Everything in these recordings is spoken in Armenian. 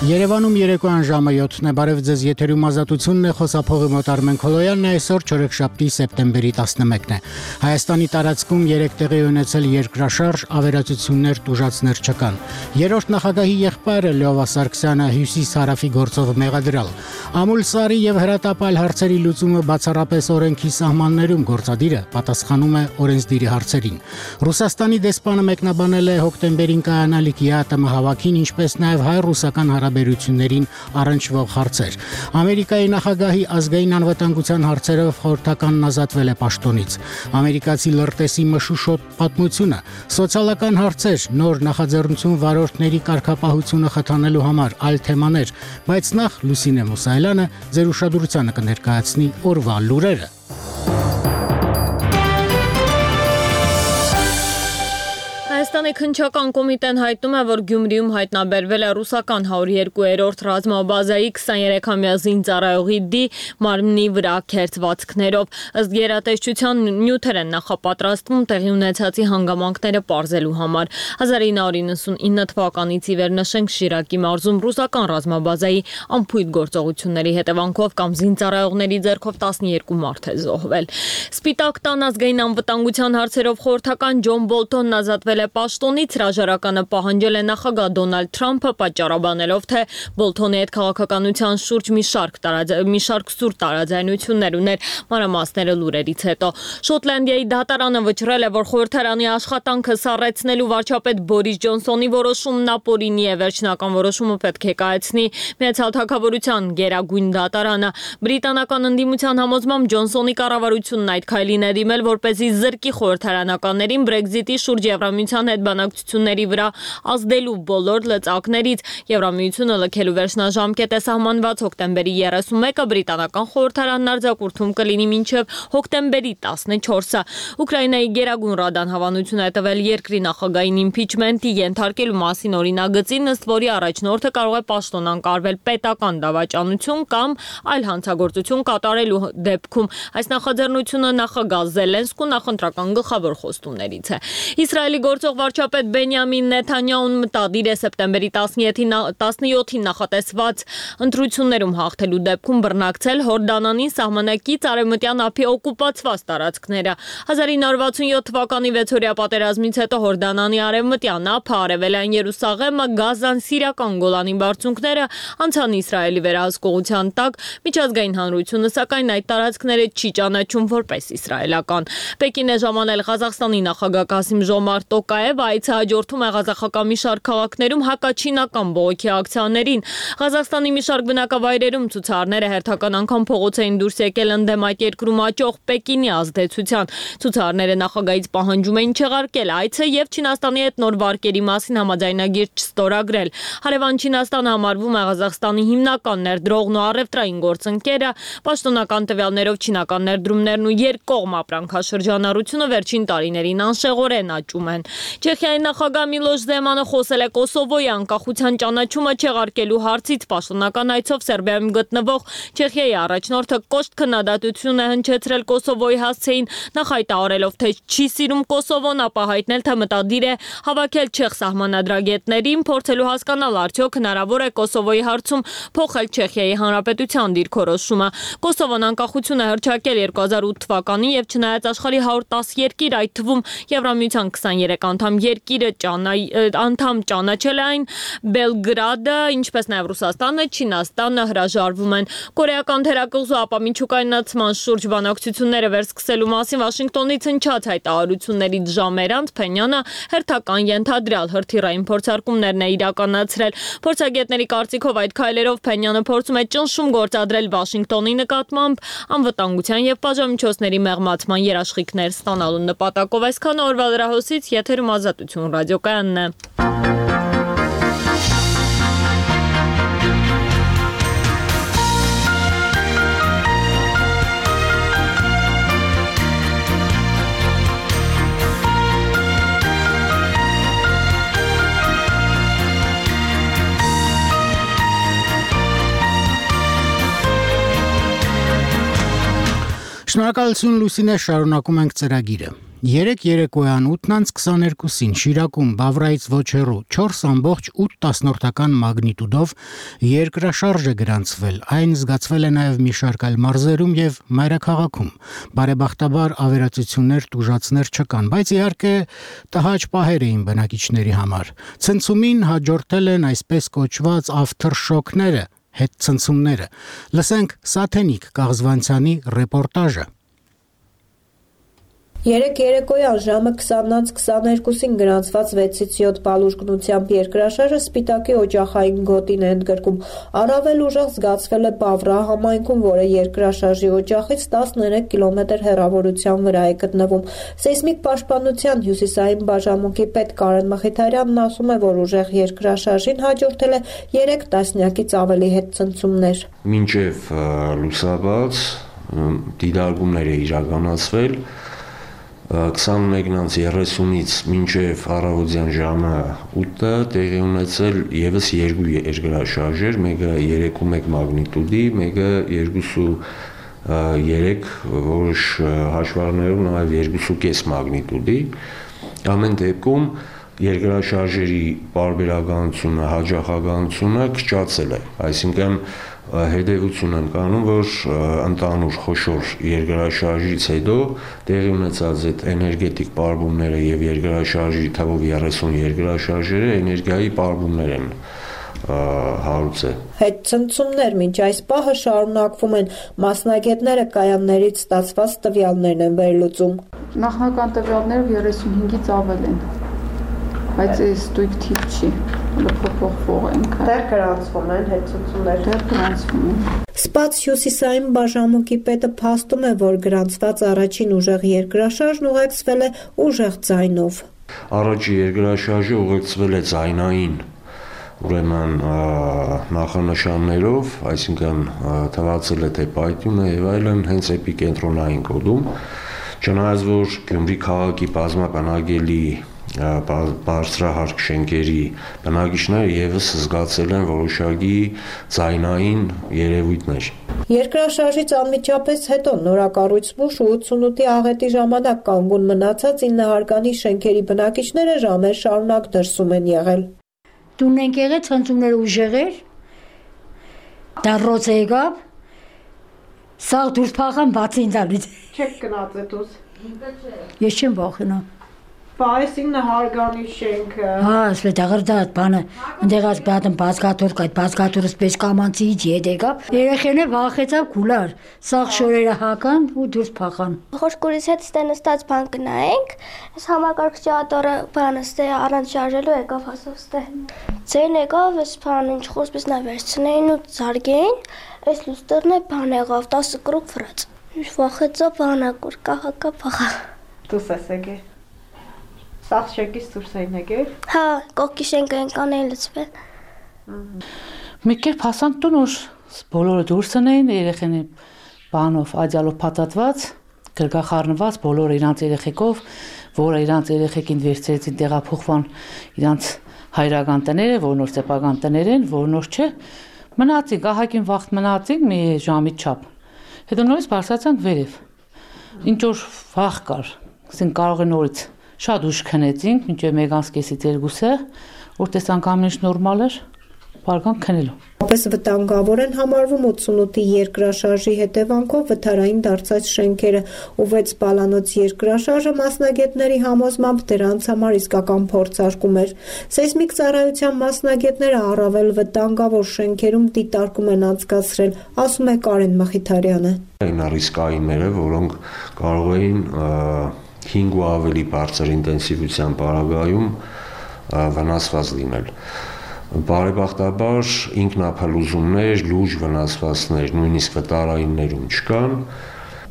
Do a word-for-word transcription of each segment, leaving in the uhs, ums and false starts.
Երևանում երեկոյան ժամը յոթն է, բարև ձեզ, եթերում ազատությունն է, խոսափողի մոտ Արմեն Քոլոյանն է, այսօր չորեքշաբթի սեպտեմբերի տասնմեկն է։ Հայաստանի տարածքում երեք տեղի ունեցել երկրաշարժ, ավերածություններ, տուժածներ չկան։ Երրորդ նախագահի եղբայրը Լյովա Սարգսյանը հյուսիս-հարավի գործով մեղադրյալ։ Ամուլ Սարի եւ հրատապալ հարցերի լուծումը բացառապես օրենքի սահմաններում գործադիրը պատասխանում է օրենսդիրի հարցերին։ Ռուսաստանի դեսպանը մեկնաբանել է հոկտեմբերին կայանալիք ԵԱՏՄ հավաքին, ինչպես նաեւ հայ-ռուսական հարաբերություններին առնչվող հարցեր։ Ամերիկայի նախագահի ազգային անվտանգության հարցերով խորհրդականն ազատվել է պաշտոնից։ Ամերիկացի լրտեսի մշուշոտ պատմությունը, սոցիալական հարցեր, նոր նախաձեռնություն վարորդների կարգապահությունը խթանելու համար, այլ թեմաներ, բայց նախ Լուսինե Մուսայելյանը ձեր ուշադրությանը կներկայացնի օրվա լուրերը։ Հայաստանի քննչական կոմիտեն հայտնում է, որ Գյումրիում հայտնաբերվել է ռուսական հարյուր երկու-րդ ռազմաբազայի քսաներեքամյա զինծառայողի դի մարմնի վրա քերծվածքներով։ Ըստ գերատեսչության նյութեր են նախապատրաստվում տեղի ունեցածի հանգամանքները պարզելու համար։ հազար ինը հարյուր իննսունինը թվականից ի վեր նշենք Շիրակի մարզում ռուսական ռազմաբազայի անփույթ գործողությունների հետևանքով կամ զինծառայողների ձեռքով տասնյոթ մարդ է զոհվել։ Սպիտակ տան ազգային անվտանգության հարցերով խորհրդական Ջոն Բոլթոնն ազատվել է պաշտոնից, հրաժարականը պահանջել է նախագահ Դոնալդ Թրամփը, պատճառաբանելով, թե Բոլթոնի հետ քաղաքականության շուրջ մի շարք տարաձ... մի շարք սուր տարաձայնություններ ուներ, մանրամասները լուրերից հետո։ Շոտլանդիայի դատարանը վճռել է, որ խորհրդարանի աշխատանքը սառեցնելու վարչապետ Բորիս Ջոնսոնի որոշումն ապօրինի է, վերջնական որոշումը պետք է կայացնի Միացյալ Թագավորության գերագույն դատարանը։ Բրիտանական ընդդիմության համոզմամբ Ջոնսոնի կառավարությունն այդ քայլին է դիմել, որպեսզի զրկի խորհրդարանականներին Brexit-ի շուրջ Եվրամիության հետ բանակցությունների վրա ազդելու բոլոր լծակներից։ Եվրամիությունը լքելու վերջնաժամկետ է սահմանված հոկտեմբերի երեսունմեկը, բրիտանական խորհրդարանն արձակուրդում կլինի մինչև հոկտեմբերի տասնչորսը։ Ուկրաինայի գերագույն ռադան հավանություն է տվել երկրի նախագահային իմփիչմենտի ենթարկելու մասին օրինագծին, ըստ որի առաջնորդը կարող է պաշտոնանկարվել պետական դավաճանություն կամ այլ հանցագործություն կատարելու դեպքում։ Այս նախաձեռնությունը նախագահ Զելենսկու նախընտրական գլխավոր խոստումներից է։ Իսրայելի գործող վարչապետ Բենյամին Նեթանյահուն մտադիր է սեպտեմբերի տասնյոթին նախատեսված ընտրություններում հաղթելու դեպքում բռնակցել Հորդանանի սահմանակից արևմտյան ափի օկուպացված տարածքները։ հազար ինը հարյուր վաթսունյոթ թվականի վեցօրյա պատերազմից հետո Հորդանանի արևմտյան ափը, արևելյան Երուսաղեմը, Գազան, Սիրիական Գոլանի բարձունքները անցան Իսրայելի վերահսկողության տակ, միջազգային հանրությունը սակայն այդ տարածքները չի ճանաչում որպես իսրայելական։ Պեկին է ժամանել Ղազախստանի նախագահ Կասիմ Ժոմարտ Տոկաևը, այցը հաջորդում է ղազախական մի շարք քաղաքներում հակաչինական բողոքի ակցիաներին։ Ղազախստանի մի շարք բնակավայրերում ցուցարարները հերթական անգամ փողոց էին դուրս եկել ընդդեմ այդ երկրում աճող Պեկինի ազդեցության։ Ցուցարարները նախագահից պահանջում էին չեղարկել այցը եւ Չինաստանի հետ նոր վարկերի մասին համաձայնագիր չստորագրել։ Հարևան Չինաստանը համարվում է Ղազախստանի հիմնական ներդրողն ու առևտրային գործընկերը։ Պաշտոնական տվյալներով չինական ներդրումներն ու երկկողմ ապրանքաշրջանառությունը վերջին տարիներին անշեղորեն աճում են։ Չեխիայի նախագահ Միլոշ Զեմանը խոսել է Կոսովոյի անկախության ճանաչումը չեղարկելու հարցից։ Պաշտոնական այցով Սերբիայում գտնվող Չեխիայի առաջնորդը կոշտ քննադատություն է հնչեցրել Կոսովոյի հասցեին, նախ հայտարարելով, թե չի սիրում Կոսովոն, ապա հայտնել, թե մտադիր է հավաքել չեխ սահմանադրագետներին, փորձելու հասկանալ արդյոք հնարավոր է Կոսովոյի հարցում փոխել Չեխիայի հանրապետության դիրքորոշումը։ Կոսովոն անկախություն է հռչակել երկու հազար ութ թվականին եւ չնայած աշխարհի հարյուր տասը երկիր, այդ թվում Եվրամիության քսաներեք անդամ երկիրը անդամ ճանաչել այն, Բելգրադը, ինչպես նաև Ռուսաստանը, Չինաստանը հրաժարվում են։ Կորեական թերակղզու ապամիջուկայնացման շուրջ բանակցությունները վերսկսելու մասին Վաշինգտոնից հնչած հայտարարություններից ժամեր անց Փենյանը հերթական ենթադրյալ հրթիռային փորձարկումներն է իրականացրել։ Փորձագետների կարծիքով այդ քայլերով Փենյանը փորձում է ճնշում գործադրել Վաշինգտոնի նկատմամբ անվտանգության եւ պատժամիջոցների մեղմացման երաշխիքներ ստանալու նպատակով։ Այսքանը օրվա լրահոսից, եթերում Ազատություն ռադիոկայանն է։ Շնորհակալություն Լուսինե, շարունակում ենք ծրագիրը։ Երեկ երեկոյան ութն անց քսաներկուսին Շիրակում Բավրայից ոչ հեռու չորս ամբողջ ութ տասնորդական մագնիտուդով երկրաշարժ է գրանցվել։ Այն զգացվել է նաև մի շարք այլ մարզերում եւ մայրաքաղաքում։ Բարեբախտաբար ավերածություններ, տուժածներ չկան, բայց իհարկե տհաճ պահեր էին բնակիչների համար։ Ցնցումին հաջորդել են այսպես կոչված aftershock-ները, հետցնցումները։ Լսենք Սաթենիկ Կաղզվանցյանի ռեպորտաժը։ Երեկ երեկոյան ժամը քսանն անց քսաներկուսին գրանցված վեցից յոթ բալուժկնությամբ երկրաշարժը Սպիտակի օջախային գոտին է ընդգրկում։ Առավել ուժեղ զգացվել է Բավրա համայնքում, որը երկրաշարժի օջախից տասներեք կիլոմետր հեռավորության վրա է գտնվում։ Սեյսմիկ պաշտպանության հյուսիսային բաժանմունքի պետ Կարեն Մխիթարյանն ասում է, որ ուժեղ երկրաշարժին հաջորդել է երեք տասնյակից ավելի հետցնցումներ։ Մինչև լուսաբաց դիտարկումներ է իրականացվել քսանմեկն անց երեսունից մինչև առավոտյան ժամը ութը տեղի ունեցել եւս երկու երկրաշարժեր, մեկը երեք ու մեկ մագնիտուդի, մեկը երկուսու երեք որոշ հաշվարկներով նաև երկուսու կես մագնիտուդի։ Ամեն դեպքում երկրաշարժերի պարբերականությունը, հաջողականությունը քչացել է, այսինքն հետևություն են կանում, որ ընդհանուր խոշոր երկրաշարժից հետո տեղի ունեցած այդ էներգետիկ պարբումները եւ երկրաշարժի թվով երեսուն երկրաշարժերը էներգիայի պարբումներ են հարուցել։ Հետցնցումներ մինչ այս պահը շարունակվում են, մասնագետները կայաններից ստացված տվյալներն են վերլուծում։ Նախնական տվյալները երեսունհինգից ավել են, բայց այս ստույգ թիվ չի, փոփոխվող են։ Դեռ գրանցվում են հետցնցումներ։ Դեռ գրանցվում են։ Սպաց հյուսիսային բաժանմունքի պետը փաստում է, որ գրանցված առաջին ուժեղ երկրաշարժն ուղեկցվել է ուժեղ ձայնով։ Առաջի երկրաշարժը ուղեկցվել է ձայնային, ուրեմն նախանշաններով, այսինքն թվացել է թե պայթյունը եւ այլն հենց էպիկենտրոնային կոդում, չնայած որ Գյումրի քաղաքի բազմաբնակելի բարձրահարկ շենքերի բնակիչները եւս զգացել են որոշակի ձայնային երևույթներ։ Երկրաշարժից անմիջապես հետո նորակառույց Բուշ ու ութսունութի աղետի ժամանակ կանգուն մնացած ինը հարկանի շենքերի բնակիչները ժամեր շարունակ դրսում են եղել։ Տունն ենք եղել, ցնցումները ուժեղ էր, դառոց եկավ, սաղ դուրս փախան բացին տալից։ Չեք գնաց էտուս։ Ես չեմ վախենա։ Բա այս ինը հարգանի շենքը։ Հա, ասլե դաղրդատ բանը, ընդեղած բատն բազգատորկ այդ բազգատորը սպես կամանցիից ետ եկավ, երեխենը վախեցավ կուլար, սաղ շորերը հական ու դուրս փախան։ Խոշկուրից հետ ստե նստած բան կնայենք, այս համակարգչի ատորը բանը ստե առանց շարժելու եկավ հասավ ստե։ Ձեն եկավ, այս բանը ինչ խոսպես նա վերցնեին ու զարգեին, այս լուստերն է բան եղավ, տասը կրուկ վրաց։ Ինչ վախեցա բանակուր, կահակա փախա։ Դուս ես եկել։ Սաղ շենքից դուրս էին եկել։ Հա, կողքի շենքը ենքան էին լծվել։ Մի կերպ հասանք տուն, որ բոլորը դուրս էին, երեխեքի բանով, աջալով փաթաթված, գրգախառնված, բոլորը իրանց երեխեքով, որը իրանց երեխեքին վերցրեցին տեղափոխվան իրանց հայրական տները, որ նոր սեփական տներ են, որ նոր չէ, մնացինք, ահագին վաղ մնացինք մի ժամի չափ։ Հետո նորից բարձրացանք վերև։ Ինչ որ վաղ կար, ասենք կարող է նորից շատ ուշ քնեցինք, մինչև մեկ անց կեսից երկուսը, որ տեսանք ամեն ինչ նորմալ էր, բարգան քնելու։ Ապես վտանգավոր են համարվում ութսունութի երկրաշարժի հետևանքով վթարային դարձած շենքերը ու վեց բալանոց երկրաշարժը մասնագետների համոզմամբ դրանց համար իսկական փորձարկում էր։ Սեյսմիկ ծառայության մասնագետները առավել վտանգավոր շենքերում դիտարկում են անցկացրել, ասում է Կարեն Մխիթարյանը։ Այն ռիսկայինները, որոնք կարող էին հինգ ու ավելի բարձր ինտենսիվության պարագայում վնասված լինել։ Բարեբախտաբար ինքնափլուզումներ, լուրջ վնասվածքներ, նույնիսկ վտարայիններում չկան։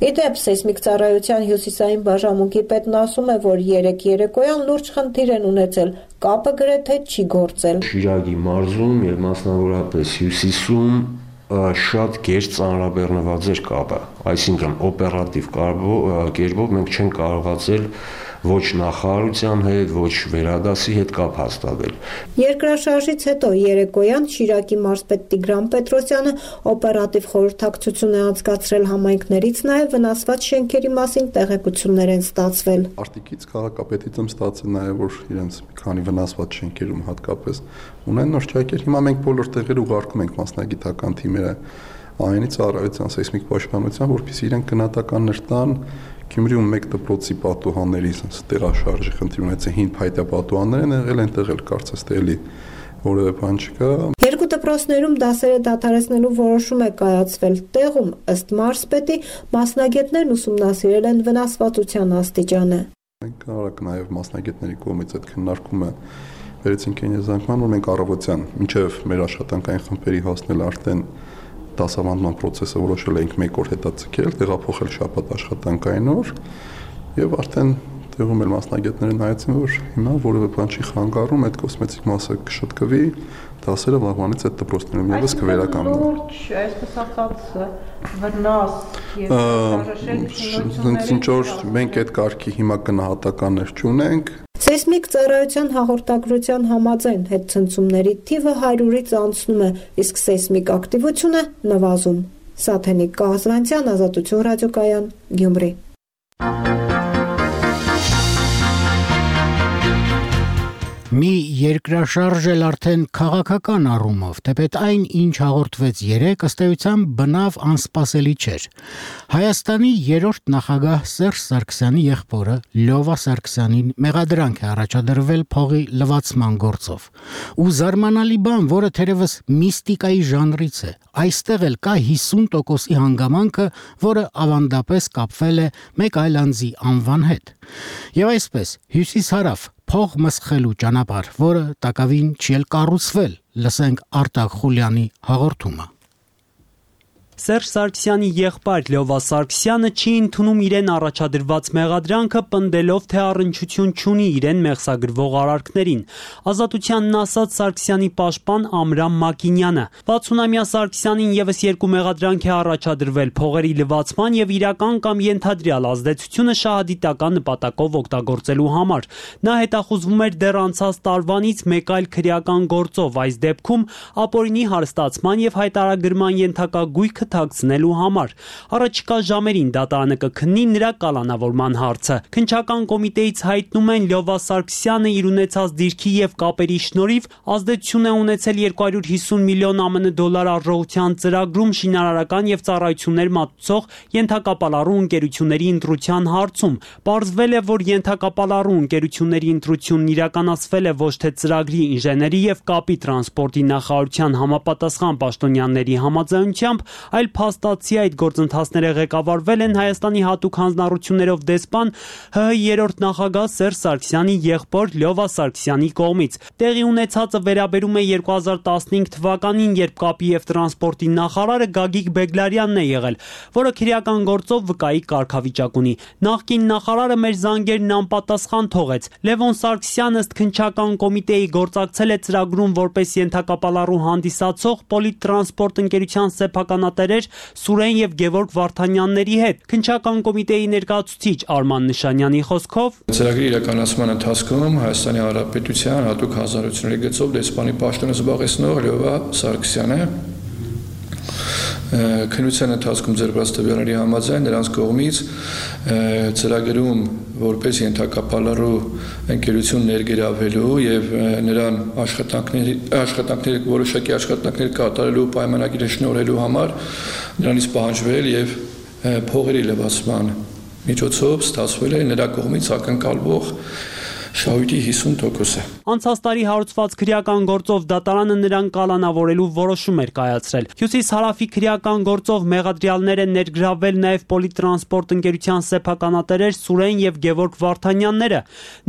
Իդեպ սեյսմիկ ծառայության հյուսիսային բաժանմունքի պետն ասում է, որ երեք երեկոյան լուրջ խնդիր են ունեցել, կապը գրեթե չի գործել։ Շիրակի մարզում եւ մասնավորապես հյուսիսում շատ գերց ծանրաբեռնված էր կապը, այսինքն օպերատիվ կերպով մենք չենք կարողացել ոչ նախարարության հետ, ոչ վերադասի հետ կապ հաստատել։ Երկրաշարժից հետո երեկոյան Շիրակի մարզպետ Տիգրան Պետրոսյանը օպերատիվ խորհրդակցություն է անցկացրել համայնքներից, նաև վնասված շենքերի մասին տեղեկություններ են ստացվել։ Արտիկից քաղաքապետիցում ստացել նաև որ իրենց մի քանի վնասված շենքերում հատկապես ունեն նոր ճակեր։ Հիմա մենք բոլոր տեղեր ուղարկում ենք մասնագիտական թիմերը այնի ծառայության սեյսմիկ պաշտպանության, որպեսզի իրենք գնահատականներ տան Գյումրիում մեկ դպրոցի պատուհանների տեղաշարժի խնդիր ունեցել հին փայտյա պատուհաններ են եղել, այնտեղ էլ կարծես թե էլի որևէ բան չկա։ Երկու դպրոցներում դասերը դադարեցնելու որոշում է կայացվել։ Տեղում ըստ մարզպետի մասնագետներն ուսումնասիրել են վնասվածության աստիճանը։ Մենք արագ նաև մասնագետների կողմից այդ քննարկումը վերեցինք այն եզրանկման, որ մենք առավոտյան մինչև մեր աշխատանքային խմբերի հասնել արդեն դասավանդման process-ը որոշել ենք մեկ օր հետաձգել, տեղափոխել շաբաթ աշխատանքային օր եւ արդեն տեղում էլ մասնագետները նայեցին, որ հիմա որևէ բան չի խանգարում, այդ կոսմետիկ մասը կշտկվի, դասերը վաղվանից այդ դպրոցներում եւս կվերականգնվեն։ Լուրջ, այսպես ասած, վնաս եւ ինչ որ մենք այդ կարգի հիմա գնահատականներ չունենք։ Սեյսմիկ ծառայության հաղորդագրության համաձայն հետցնցումների թիվը հարյուրից անցնում է, իսկ սեյսմիկ ակտիվությունը նվազում։ Սաթենիկ Կահազվանցյան, Ազատություն ռադիոկայան, Գյումրի։ Մի երկրաշարժ էլ արդեն քաղաքական առումով, թեպետ այն, ինչ հաղորդվեց երեկ, ըստ էության բնավ անսպասելի չէր։ Հայաստանի երրորդ նախագահ Սերժ Սարգսյանի եղբորը Լյովա Սարգսյանին մեղադրանք է առաջադրվել փողի լվացման գործով։ Ու զարմանալի բան, որը թերևս միստիկայի ժանրից է, այստեղ էլ կա հիսուն տոկոսի հանգամանքը, որը ավանդապես կապվել է մեկ այլ անձի անվան հետ։ Եվ այսպես, հյուսիս-հարավ փող մսխելու ճանապարհ, որը տակավին չի էլ կառուցվել, լսենք Արտակ Խուլյանի հաղորդումը։ Սերժ Սարգսյանի եղբայր Լյովա Սարգսյանը չի ընդունում իրեն առաջադրված մեղադրանքը, պնդելով, թե առնչություն չունի իրեն մեղսագրվող արարքներին։ Ազատությանն ասաց Սարգսյանի պաշտպան Ամրամ Մակինյանը։ վաթսունամյա Սարգսյանին եւս երկու մեղադրանք է առաջադրվել՝ փողերի լվացման եւ իրական կամ ենթադրյալ ազդեցությունը շահադիտական նպատակով օգտագործելու համար։ Նա հետախուզվում էր դեռ անցած տարվանից մեկ այլ քրեական գործով, այս դեպքում ապօրինի հարստացման եւ հայտարարագրման ենթակա գույքը թաքցնելու համար։ Առաջիկա ժամերին դատարանը կքննի նրա կալանավորման հարցը։ Քննչական կոմիտեից հայտնում են Լյովա Սարգսյանը իր ունեցած դիրքի եւ կապերի շնորհիվ ազդեցություն է ունեցել երկու հարյուր հիսուն միլիոն ԱՄՆ դոլար արժողության ծրագրում շինարարական եւ ծառայություններ մատուցող ենթակապալառու ընկերությունների ընտրության հարցում։ Պարզվել է, որ ենթակապալառու ընկերությունների ընտրությունն իրականացվել է ոչ թե ծրագրի ինժեների եւ կապի տրանսպորտի նախարարության համապատասխան պաշտոնյաների համաձայնությամբ, այլ փաստացի այդ գործընթացները ղեկավարվել են Հայաստանի հատուկ հանձնառություններով դեսպան ՀՀ երրորդ նախագահ Սերժ Սարգսյանի եղբոր Լյովա Սարգսյանի կողմից։ Տեղի ունեցածը վերաբերում է երկու հազար տասնհինգ թվականին, երբ կապի եւ տրանսպորտի նախարարը Գագիկ Բեգլարյանն է եղել, որը քրեական գործով վկայի կարգավիճակ ունի։ Նախկին նախարարը մեր զանգերն անպատասխան թողեց։ Լևոն Սարգսյանը ըստ քննչական կոմիտեի գործակցել է ծրագրում որպես ենթակապալառու հանդիսացող Պոլիտրանսպորտ ընկերության սեփականատերեր Սուրեն եւ Գևորգ Վարդանյանների հետ։ Քննչական կոմիտեի ներկայացուցիչ Արման Նշանյանի խոսքով ծրագրի իրականացման ընթացքում Հայաստանի Հանրապետության հատուկ հանձնառությունների գծով դեսպանի պաշտոնը զբաղեցնող Լյովա Սարգսյանը քննության ընթացքում ձեռքբերած տվյալների համաձայն նրանց կողմից ծրագրում որպես ենթակապալառու ընկերություն ներգրավելու եւ նրան աշխատանքների աշխատանքների որոշակի աշխատանքներ կատարելու պայմանագիրը շնորհելու համար նրանից պահանջվել եւ փողերի լվացման միջոցով ստացվել է նրա կողմից ակնկալվող շահույթի հիսուն տոկոսը։ Անցած տարի հարուցված քրեական գործով դատարանը նրան կալանավորելու որոշում էր կայացրել։ Հյուսիս-հարավի քրեական գործով մեղադրյալներ են ներգրավել նաև Պոլիտրանսպորտ ընկերության սեփականատերեր Սուրեն եւ Գևորգ Վարդանյանները։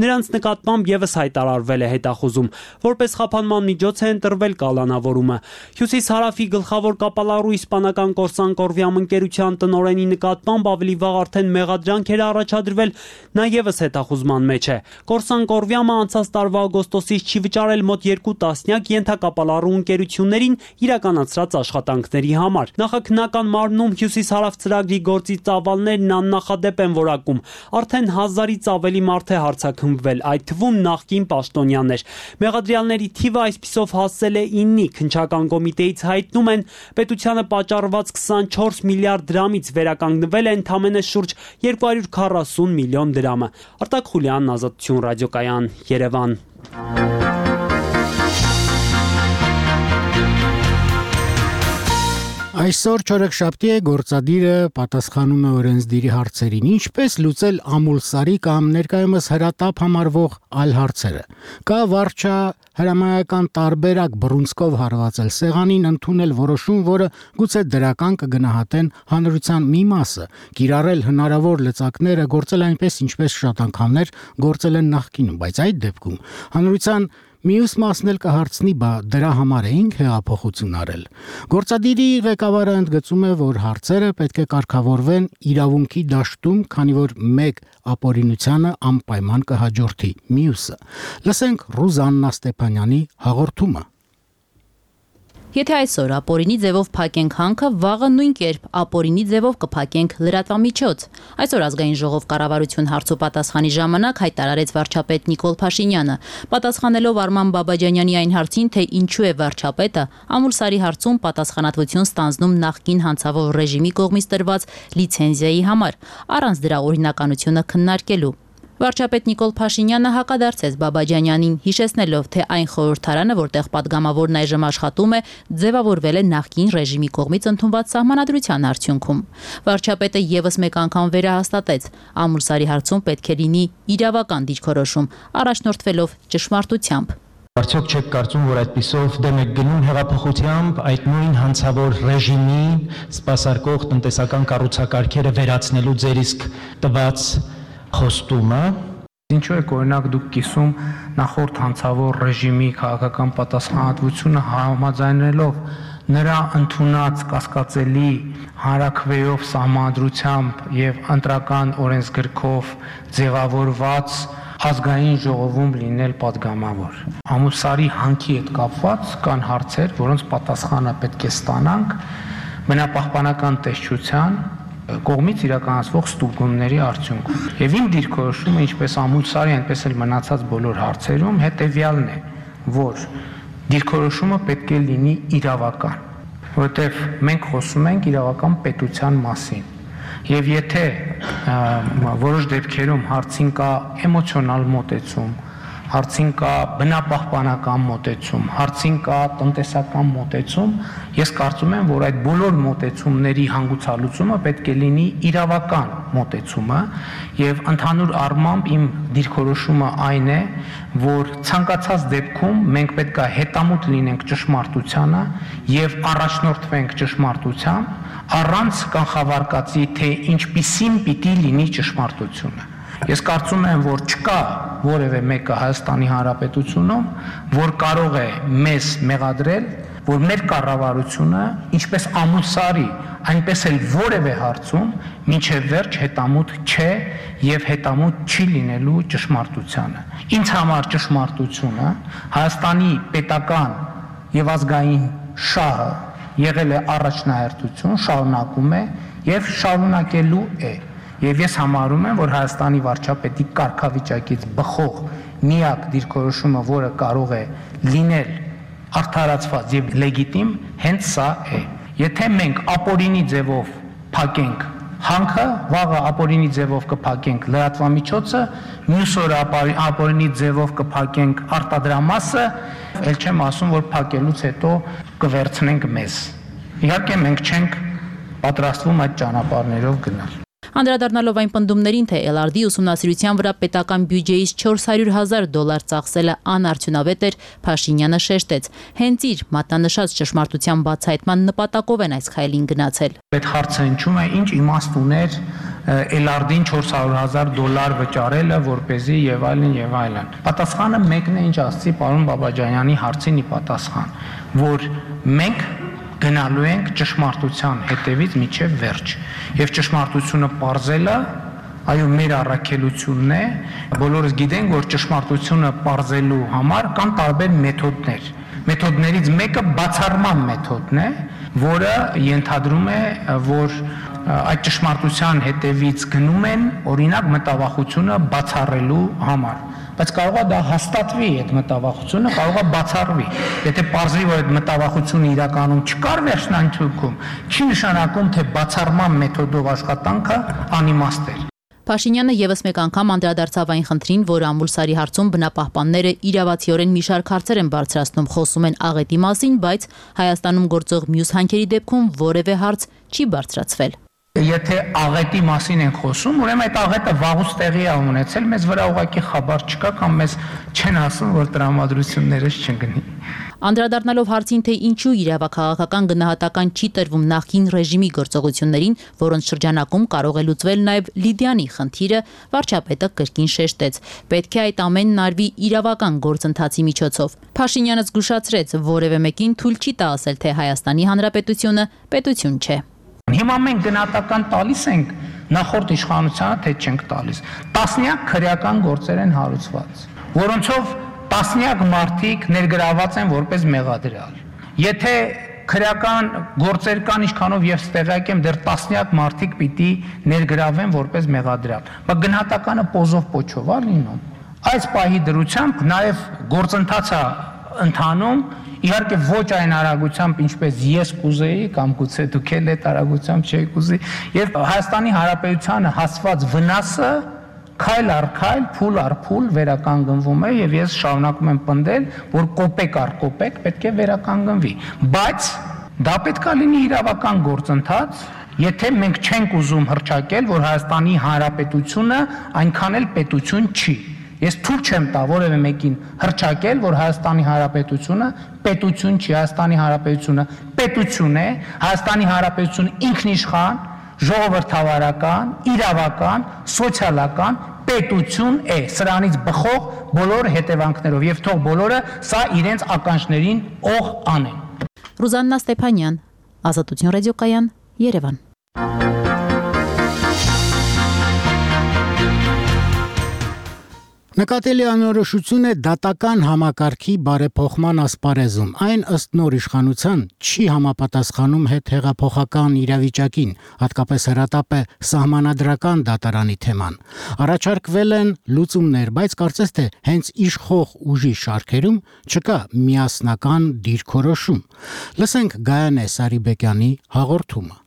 Նրանց նկատմամբ եւս հայտարարվել է հետախուզում։ Որպես խափանման միջոց է ընտրվել կալանավորումը։ Հյուսիս-հարավի գլխավոր կապալառու իսպանական Կորսան Կորվիամ ընկերության տնօրենի նկատմամբ ավելի վաղ արդեն մեղադրանք էր առաջադրվել, նա եւս հետախուզման մեջ է։ Կորսան Վահան Կորվյամը անցած տարվա օգոստոսից չի վճարել մոտ երկու տասնյակ ենթակապալառու ընկերություններին իրականացրած աշխատանքների համար։ Նախաքննական մարմնում Հյուսիս-Հարավ ծրագրի գործի ծավալներն աննախադեպ են որակում։ Արդեն հազարից ավելի մարդ է հարձակվվել, այդ թվում նախկին պաշտոնյաներ։ Մեղադրյալների թիվը այսպիսով հասել է իննի, քննչական կոմիտեից հայտնում են, պետությանը պատճառված քսանչորս միլիարդ դրամից վերականգնվել է ընդամենը շուրջ երկու հարյուր քառասուն միլիոն դրամը։ Արտակ Խուլյանն, Ազատություն ռադիոկայան, Երևան։ Այսօր չորեքշաբթի է, գործադիրը պատասխանում է օրենսդիրի հարցերին, ինչպես լուծել ամուլսարի կամ ներկայումս հրատապ համարվող այլ հարցերը։ Կա վարչա հրամայական տարբերակ բռունցքով հարվածել սեղանին, ընդունել որոշում, որը գուցե դրական կգնահատեն հանրության մի մասը, կիրառել հնարավոր լծակները, գործել այնպես, ինչպես շատ անգամներ գործել են նախկինում, բայց այդ դեպքում հանրության մյուս մասն էլ կհարցնի, բա դրա համար էինք հեղափոխություն արել։ Գործադիրի ղեկավարը ընդգծում է, որ հարցերը պետք է կարգավորվեն իրավունքի դաշտում, քանի որ մեկ ապօրինությանը անպայման կհաջորդի մյուսը։ Լսենք Ռուզաննա Ստեփանյանի հաղորդումը։ Եթե այսօր ապօրինի ձևով փակենք հանքը, վաղը նույն կերպ ապօրինի ձևով կփակենք լրատվամիջոց։ Այսօր ազգային ժողով կառավարություն հարցու պատասխանի ժամանակ հայտարարեց վարչապետ Նիկոլ Փաշինյանը, պատասխանելով Արման Բաբաջանյանի այն հարցին, թե ինչու է վարչապետը ամուլսարի հարցում պատասխանատվություն ստանձնում նախկին հանցավոր ռեժիմի կողմից տրված լիցենզիայի համար, առանց դրա օրինականությունը քննարկելու։ Վարչապետ Նիկոլ Փաշինյանը հակադարձեց Բաբաջանյանին, հիշեցնելով, թե այն խորհրդարանը, որտեղ պատգամավորն այժմ աշխատում է, ձևավորվել է նախկին ռեժիմի կողմից ընդունված սահմանադրության արդյունքում։ Վարչապետը ևս մեկ անգամ վերահաստատեց, ամուլսարի հարցում պետք է լինի իրավական դիրքորոշում, առաջնորդվելով ճշմարտությամբ։ Արդյոք չեք կարծում, որ այդպիսով դեմ եք գնում հեղափոխությամբ այդ նույն հանցավոր ռեժիմին սպասարկող տնտեսական կառուցակարգերը վերացնելու ձեր իսկ տված խոստումը։ Ինչու եք օրինակ դուք կիսում նախորդ հանցավոր ռեժիմի քաղաքական պատասխանատվությունը համաձայնելով նրա ընդունած կասկածելի հանրաքվեով սահմանադրությամբ եւ ընտրական օրենսգրքով ձևավորված ազգային ժողովում լինել պատգամավոր։ Ամուլսարի հանքի հետ կապված կան հարցեր, որոնց պատասխանը պետք է ստանանք բնապահպանական տեսչության կողմից իրականացվող ստուգումների արդյունքում։ Եվ իմ դիրքորոշումը, ինչպես ամուլսարի, այնպես էլ մնացած բոլոր հարցերում հետևյալն է, որ դիրքորոշումը պետք է լինի իրավական, որովհետև մենք խոսում ենք իրավական պետության մասին։ Եվ եթե որոշ դեպքերում հարցին կա էմոցիոնալ մոտեցում, հարցին կա բնապահպանական մոտեցում, հարցին կա տնտեսական մոտեցում, ես կարծում եմ, որ այդ բոլոր մոտեցումների հանգուցալուծումը պետք է լինի իրավական մոտեցումը եւ ընդհանուր առմամբ իմ դիրքորոշումը այն է, որ ցանկացած դեպքում մենք պետք է հետամուտ լինենք ճշմարտությանը եւ առաջնորդվենք ճշմարտությամբ, առանց կանխավարկածի, թե ինչպիսին պիտի լինի ճշմարտությունը։ Ես կարծում եմ, որ չկա որևէ մեկը Հայաստանի Հանրապետությունում, որ կարող է մեզ մեղադրել, որ մեր կառավարությունը, ինչպես ամուլսարի, այնպես էլ որևէ հարցում մինչև վերջ հետամուտ չէ եւ հետամուտ չի լինելու ճշմարտությանը։ Ինձ համար ճշմարտությունը Հայաստանի պետական եւ ազգային շահը եղել է առաջնահերթություն, շարունակում է եւ շարունակելու է։ Եվ ես համարում եմ, որ Հայաստանի վարչապետի կարգավիճակից բխող միակ դիրքորոշումը, որը կարող է լինել արդարացված եւ լեգիտիմ, հենց սա է։ Եթե մենք ապօրինի ձևով փակենք հանքը, վաղը ապօրինի ձևով կփակենք լրատվամիջոցը, մյուս օրը ապօրինի ձևով կփակենք արտադրամասը, ել չեմ ասում, որ փակելուց հետո կվերցնենք մեզ։ Իհարկե մենք չենք պատրաստվում այդ ճանապարհներով գնալ։ Անդրադառնալով այն պնդումներին, թե Էլ Ար Դի ուսումնասիրության վրա պետական բյուջեից չորս հարյուր հազար դոլար ծախսելը անարդյունավետ էր, Փաշինյանը շեշտեց. հենց իր մատնանշած ճշմարտության բացահայտման նպատակով են այս քայլին գնացել։ Այդ հարցը հնչում է, ինչ իմաստ ուներ Էլ Ար Դին չորս հարյուր հազար դոլար վճարելը, որպեսզի եւ այլն եւ այլն։ Պատասխանը մեկն է, ինչ ասացի պարոն Բաբաջանյանի հարցին ի պատասխան, որ մենք գնալու ենք ճշմարտության հետևից մինչև վերջ եւ ճշմարտությունը պարզելը այո, մեր առաքելությունն է։ Բոլորս գիտենք, որ ճշմարտությունը պարզելու համար կան տարբեր մեթոդներ։ Մեթոդներից մեկը բացառման մեթոդն է, որը ենթադրում է, որ այդ ճշմարտության հետևից գնում են օրինակ մտավախությունը բացառելու համար, բայց կարող է դա հաստատվի այդ մտավախությունը, կարող է բացառվի։ Եթե պարզվի, որ այդ մտավախությունը իրականում չկար վերջնանկյունքում, չի նշանակում, թե բացառման մեթոդով աշխատանքը անիմաստ էր։ Փաշինյանը եւս մեկ անգամ անդրադարձավ այն խնդրին, որ Ամուլսարի հարցում բնապահպանները իրավացիորեն մի շարք հարցեր են բարձրացնում, խոսում են աղետի մասին, բայց Հայաստանում գործող մյուս հանքերի դեպքում որևէ հարց չի բարձրացվել։ Եթե աղետի մասին են խոսում, ուրեմն այդ աղետը վաղուց տեղի է ունեցել, մեզ վրա ուղղակի խաբար չկա կամ մեզ չեն ասում, որ տրամադրություններս չընկնի։ Անդրադառնալով հարցին, թե ինչու իրավաքաղաքական գնահատական չի տրվում նախկին ռեժիմի գործողություններին, որոնց շրջանակում կարող է լուծվել նաև Լիդիանի խնդիրը, վարչապետը կրկին շեշտեց. պետք է այդ ամենն արվի իրավական գործընթացի միջոցով։ Փաշինյանը զգուշացրեց, որևէ մեկին թույլ չի տա ասել, թե Հայաստանի Հանրապետությունը պետություն չէ։ Հիմա մենք գնահատական տալիս ենք նախորդ իշխանությանը, թե չենք տալիս։ Տասնյակ քրեական գործեր են հարուցված, որոնցով տասնյակ մարդիկ ներգրաված են որպես մեղադրյալ։ Եթե քրեական գործեր կան, ինչքանով եւ ստեղյակ եմ, դեռ տասնյակ մարդիկ պիտի ներգրավեն որպես մեղադրյալ։ Բայց գնահատականը պոզով պոչով է լինում։ Այս պահի դրությամբ նաեւ գործընթացը ընթանում, իհարկե ոչ այն արագությամբ, ինչպես ես կուզեի կամ գուցե դուք էլ այդ արագությամբ չեք ուզի, եւ Հայաստանի Հանրապետությանը հասված վնասը քայլ առ քայլ, փուլ առ փուլ վերականգնվում է եւ ես շարունակում եմ պնդել, որ կոպեկ առ կոպեկ պետք է վերականգնվի, բայց դա պետք է լինի իրավական գործընթաց, եթե մենք չենք ուզում հռչակել, որ Հայաստանի Հանրապետությունը այնքան էլ պետություն չի։ Ես թույլ չեմ տա որևէ մեկին հռչակել, որ Հայաստանի Հանրապետությունը պետություն չի, Հայաստանի Հանրապետությունը պետություն է, Հայաստանի Հանրապետությունը ինքնիշխան, ժողովրդավարական, իրավական, սոցիալական պետություն է, սրանից բխող բոլոր հետևանքներով եւ թող բոլորը սա իրենց ականջներին օղ անեն։ Ռուզաննա Ստեփանյան, Ազատություն ռադիոկայան, Երևան։ Նկատելի անորոշություն է դատական համակարգի բարեփոխման ասպարեզում։ Այն ըստ նոր իշխանության չի համապատասխանում հետհեղափոխական իրավիճակին, հատկապես հրատապ է սահմանադրական դատարանի թեման։ Առաջարկվել են լուծումներ, բայց կարծես թե հենց իշխող ուժի շարքերում չկա միասնական դիրքորոշում։ Լսենք Գայանե Սարիբեկյանի հաղորդումը։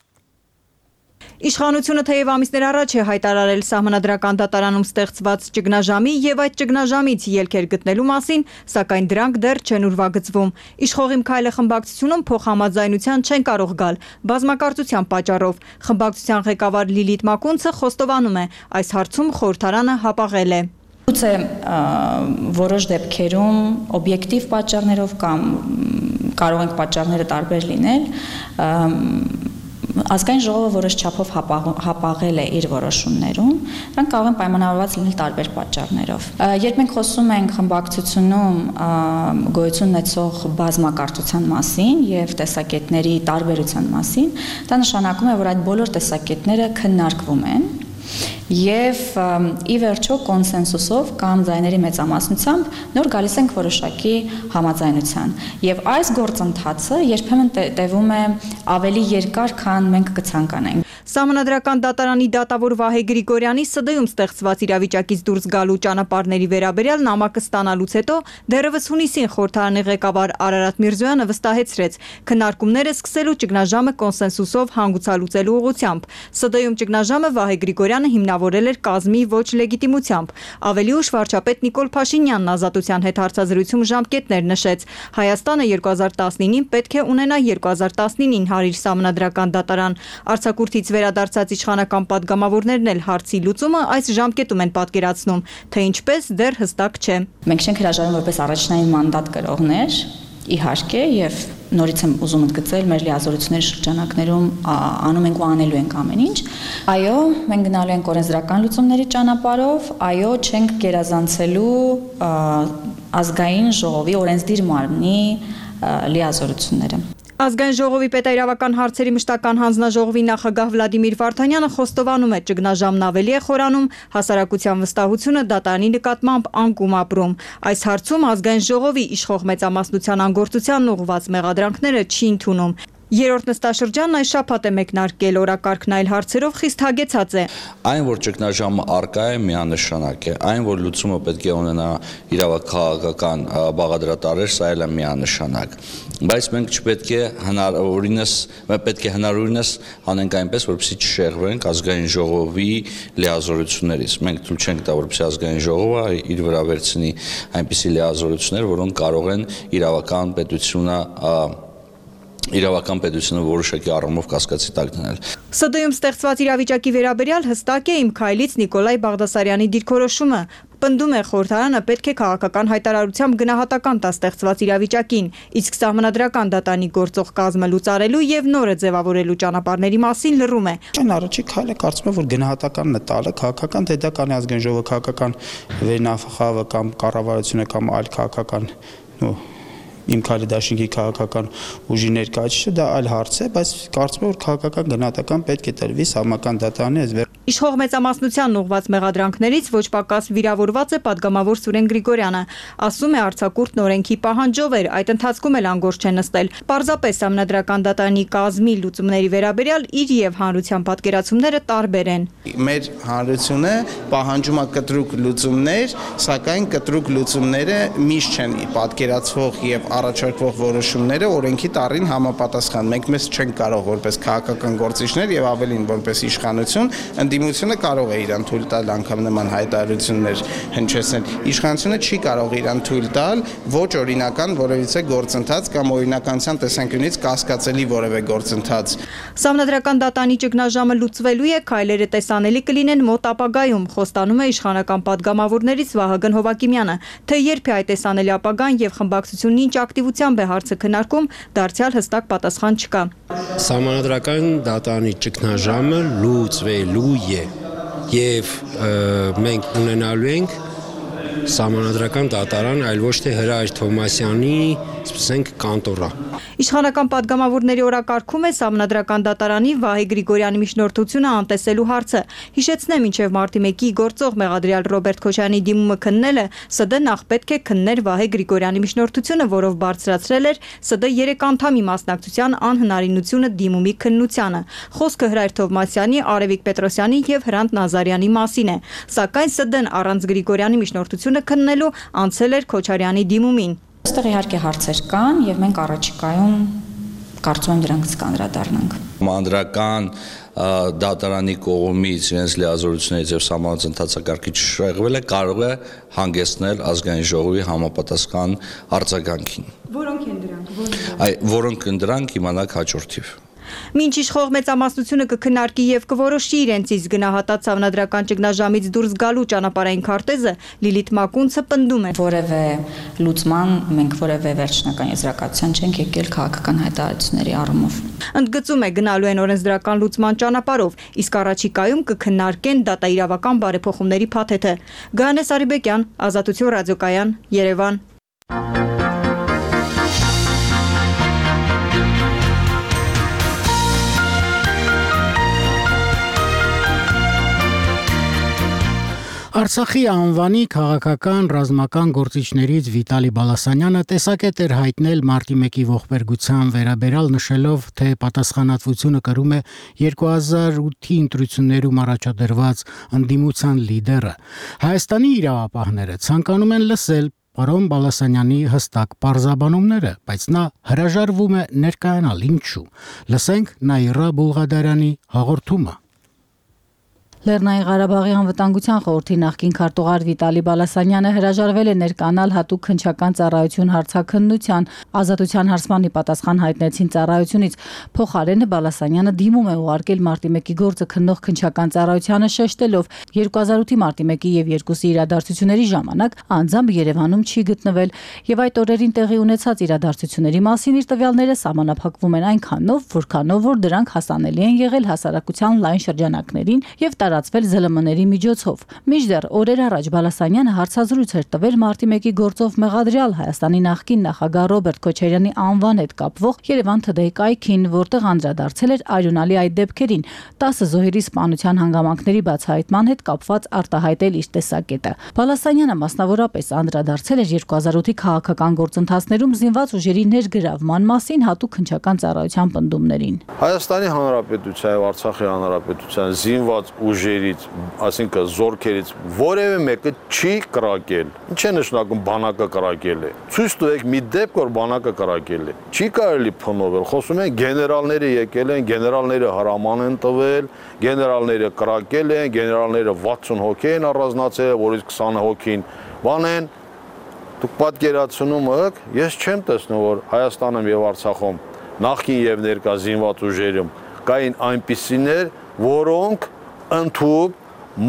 Իշխանությունը թեև ամիսներ առաջ է հայտարարել սահմանադրական դատարանում ստեղծված ճգնաժամի եւ այդ ճգնաժամից ելքեր գտնելու մասին, սակայն դրանք դեռ չեն ուրվագծվում։ Իշխող Իմ քայլը խմբակցությունում փոխհամաձայնության չեն կարող գալ բազմակարծության պատճառով։ Խմբակցության ղեկավար Լիլիթ Մակունցը խոստովանում է, այս հարցում խորհրդարանը հապաղել է։ Գուցե որոշ դեպքերում օբյեկտիվ պատճառներով կամ կարող են պատճառները տարբեր լինել, Ազգային ժողովը որոշ չափով հապաղել է իր որոշումներում, դրանք կարող են պայմանավորված լինել տարբեր պատճառներով։ Երբ մենք խոսում ենք խմբակցությունում գոյություն ունեցող բազմակարծության մասին եւ տեսակետների տարբերության մասին, դա նշանակում է, որ այդ բոլոր տեսակետները քննարկվում են եւ ի վերջո կոնսենսուսով կամ ձայների մեծամասնությամբ նոր գալիս ենք որոշակի համաձայնության եւ այս գործընթացը երբեմն տևում է ավելի երկար, քան մենք կցանկանայինք։ Սահմանադրական դատարանի դատավոր Վահե Գրիգորյանի ՍԴ-ում ստեղծված իրավիճակից դուրս գալու ճանապարհների վերաբերյալ նամակը ստանալուց հետո դեռևս հունիսին խորհրդարանի ղեկավար Արարատ Միրզոյանը վստահեցրեց, քննարկումները սկսելու ճգնաժամը կոնսենսուսով հանգուցալուծելու ուղղությամբ։ ՍԴ-ում ճգնաժամը Վահե Գրիգորյանը հիմնավորել էր կազմի ոչ լեգիտիմությամբ։ Ավելի ուշ վարչապետ Նիկոլ Փաշինյանն Ազատության հետ հարցազրույցում ժամկետներ նշեց։ Հայաստանը երկու հազար տասնինին պետք է ունենա երկու հազար տասնինին հարիր սահմանադրական դատարան։ Արձակուրդից վերադարձած իշխանական падգամավորներն էլ հարցի լուծումը այս ժամկետում են պատկերացնում, թե ինչպես դեռ հստակ չէ։ Մենք չենք հրաժարվում որպես առաջնային մանդատ կրողներ, իհարկե, եւ նորից եմ ուզում ընդգծել մեր լիազորությունների շրջանակներում անում ենք ու անելու ենք ամեն ինչ։ Այո, մենք գնալու ենք օրենսդրական լուծումների ճանապարհով, այո, չենք գերազանցելու ազգային ժողովի օրենսդիր մարմնի լիազորությունները։ Ազգային ժողովի պետաիրավական հարցերի մշտական հանձնաժողովի նախագահ Վլադիմիր Վարդանյանը խոստովանում է, ճգնաժամն ավելի է խորանում, հասարակության վստահությունը դատարանի նկատմամբ անկում ապրում։ Այս հարցում ազգային ժողովի իշխող մեծամասնության անգործությանն ուղղված մեղադրանքները չի ընդունում։ Երրորդ նստաշրջանն այս շաբաթ է մեկնարկել, օրակարգն այլ հարցերով խիստ հագեցած է։ Այն, որ ճգնաժամը առկա է, միանշանակ է, այն, որ լուծումը պետք է ունենա իրավաքաղաքական բաղադրատարեր, սա էլ է միանշանակ։ Բայց մենք չպետք է հնարավորինս, պետք է հնարավորինս անենք այնպես, որպեսզի չշեղվենք ազգային ժողովի լիազորություններից։ Մենք թույլ չենք տա, որպեսզի ազգային ժողովը իր վրա վերցնի այնպիսի լիազորություններ, որոնք կարող են իրավական պետությունը իրավական պետությունը որոշակի առումով կասկածի տակ դնել։ ՍԴ-ում ստեղծված իրավիճակի վերաբերյալ հստակ է իմ քայլից Նիկոլայ Բաղդասարյանի դիրքորոշումը։ Պնդում է խորհրդարանը պետք է քաղաքական հայտարարությամբ գնահատական տա ստեղծված իրավիճակին, իսկ սահմանադրական դատանի գործող կազմը լուծարելու եւ նորը ձևավորելու ճանապարհների մասին լռում է։ Այն առաջի քայլը կարծում եմ, որ գնահատականն է տալը քաղաքական, թե դա կանի ազգային ժողովը քաղաքական վերնախավը կամ կառավարությունը կամ այլ քաղաքական նո իմ քայլի դաշինքի քաղաքական ուժի ներկայացուցիչը դա այլ հարց է, բայց կարծում եմ, որ քաղաքական գնահատական պետք է տրվի սահմանական դատարանի այս վեր։ Իշխող մեծամասնությանն ուղղված մեղադրանքներից ոչ պակաս վիրավորված է պատգամավոր Սուրեն Գրիգորյանը։ Ասում է արձակուրդն օրենքի պահանջով էր, այդ ընթացքում էլ անգործ չէ նստել։ Պարզապես սահմանադրական դատարանի կազմի լուծումների վերաբերյալ իր եւ հանրության պատկերացումները տարբեր են։ Մեր հանրությունը պահանջում է կտրուկ լուծումներ, սակայն կտրուկ լուծումները միշտ չեն պատկերացվող եւ առաջարկվող որոշումները օրենքի տառին համապատասխան։ Մենք մեզ չենք կարող որպես քաղաքական գործիչներ եւ ավելին որպես իշխանություն, ընդդիմությունը կարող է իրան թույլ տալ անգամ նման հայտարարություններ հնչեցնել։ Իշխանությունը չի կարող իրան թույլ տալ ոչ օրինական որևիցե գործընթաց կամ օրինականության տեսանկյունից կասկածելի որևէ գործընթաց։ Սահմանադրական դատանի ճգնաժամը լուծվելու է, քայլերը տեսանելի կլինեն մոտ ապագայում, խոստանում է իշխանական պատգամավորներից Վահագն Հովակիմյանը, թե երբ է այդ տեսանելի ապագան եւ խմբակցությունն ինչ ակտիվությամբ է հարցը քննարկում, դարձյալ հստակ պատասխան չկա։ Սահմանադրական դատանի ճգնաժամը լուծվելու է եւ մենք ունենալու ենք սահմանադրական դատարան, այլ ոչ թե Հրայր Թովմասյանի, ասենք, կանտորա։ Իշխանական պատգամավորների օրակարգում է սահմանադրական դատարանի Վահե Գրիգորյանի միջնորդությունը անտեսելու հարցը։ Հիշեցնեմ, մինչև մարտի մեկի գործող մեղադրյալ Ռոբերտ Քոչարյանի դիմումը քննելը ՍԴ նախ պետք է քններ Վահե Գրիգորյանի միջնորդությունը, որով բարձրացրել էր ՍԴ երեք անդամի մասնակցության անհնարինությունը դիմումի քննությանը։ Խոսքը Հրայր Թովմասյանի, Արևիկ Պետրոսյանի եւ Հրանտ Նազարյանի մասին է։ Սակայն ՍԴ-ն առանց Գրիգորյանի միջնորդությունը քննելու անցել էր Քոչարյանի դիմումին։ Այստեղ իհարկե հարցեր կան եւ մենք առաջիկայում կարծում եմ դրանց կանդրադառնանք։ Մանրական դատարանի կողմից իրենց լիազորություններից եւ սահմանված ընթացակարգի շեղվելը կարող է հանգեցնել ազգային ժողովի համապատասխան արձագանքին։ Որոնք են դրանք։ Այ որոնք են դրանք իմանաք հաջորդիվ։ Մինչ իշխող մեծամասնությունը կքննարկի եւ կորոշի իրենց իսկ գնահատած սահմանադրական ճգնաժամից դուրս գալու ճանապարհային քարտեզը, Լիլիթ Մակունցը պնդում է. Որևէ լուծման մենք որևէ վերջնական եզրակացության չենք եկել քաղաքական հայտարարությունների առումով։ Ընդգծում է գնալու են օրենսդրական լուծման ճանապարհով, իսկ առաջիկայում կքննարկեն դատաիրավական բարեփոխումների փաթեթը։ Գայանե Սարիբեկյան, Ազատություն ռադիոկայան, Երևան։ Արցախի անվանի քաղաքական ռազմական գործիչներից Վիտալի Բալասանյանը տեսակետ էր հայտնել մարտի մեկի ողբերգության վերաբերյալ, նշելով, թե պատասխանատվությունը կրում է երկու հազար ութի ընտրություններում առաջադրված ընդդիմության լիդերը։ Հայաստանի իրավապահները ցանկանում են լսել պարոն Բալասանյանի հստակ պարզաբանումները, բայց նա հրաժարվում է ներկայանալ, ինչու։ Լսենք Նաիրա Բուլղադարյանի հաղորդումը։ Լեռնային Ղարաբաղի անվտանգության խորհրդի նախկին քարտուղար Վիտալի Բալասանյանը հրաժարվել է ներկայանալ հատուկ քննչական ծառայություն հարցաքննության, ազատության հարցմանի պատասխան հայտնեցին ծառայությունից։ Փոխարենը Բալասանյանը դիմում է ուղարկել մարտի մեկի գործը քննող քննչական ծառայությանը, շեշտելով երկու հազար ութի մարտի մեկի եւ երկուսի իրադարձությունների ժամանակ անձամբ Երևանում չի գտնվել եւ այդ օրերին տեղի ունեցած իրադարձությունների մասին իր տվյալները սահմանափակվում են այնքանով, որքանով որ դրանք հասանելի են եղել հասարակության լայն շրջանակներին եւ տարածվել զլ էմ էների միջոցով։ Մինչդեռ օրեր առաջ Բալասանյանը հարցազրույց էր տվել մարտի մեկի գործով մեղադրյալ Հայաստանի նախկին նախագահ Ռոբերտ Քոչարյանի անվան հետ կապվող Երևան Today կայքին, որտեղ անդրադարձել էր արյունալի այդ դեպքերին, տասը զոհերի սպանության հանգամանքների բացահայտման հետ կապված արտահայտել իր տեսակետը։ Բալասանյանը մասնավորապես անդրադարձել էր երկու հազար ութի քաղաքական գործընթացներում զինված ուժերի ներգրավման մասին հատուկ քննչական ծառայության պնդումներին։ Հայաստանի Հանրապետության եւ Արցախի Հանրապետության զինված ուժերից, այսինքն զորքերից որևէ մեկը չի կրակել։ Ինչ է նշանակում բանակը կրակել է։ Ցույց տվեք մի դեպք, որ բանակը կրակել է։ Չի կարելի փնովել։ Խոսում են գեներալները եկել են, գեներալները հրաման են տվել, գեներալները կրակել են, գեներալները վաթսուն հոգի են առանձնացել, որից քսան հոգին բան են։ Դուք պատկերացնում եք, ես չեմ տեսնում, որ Հայաստանում եւ Արցախում նախկին եւ ներկա զինված ուժերում կային այնպիսիներ, որոնք ընդհանուր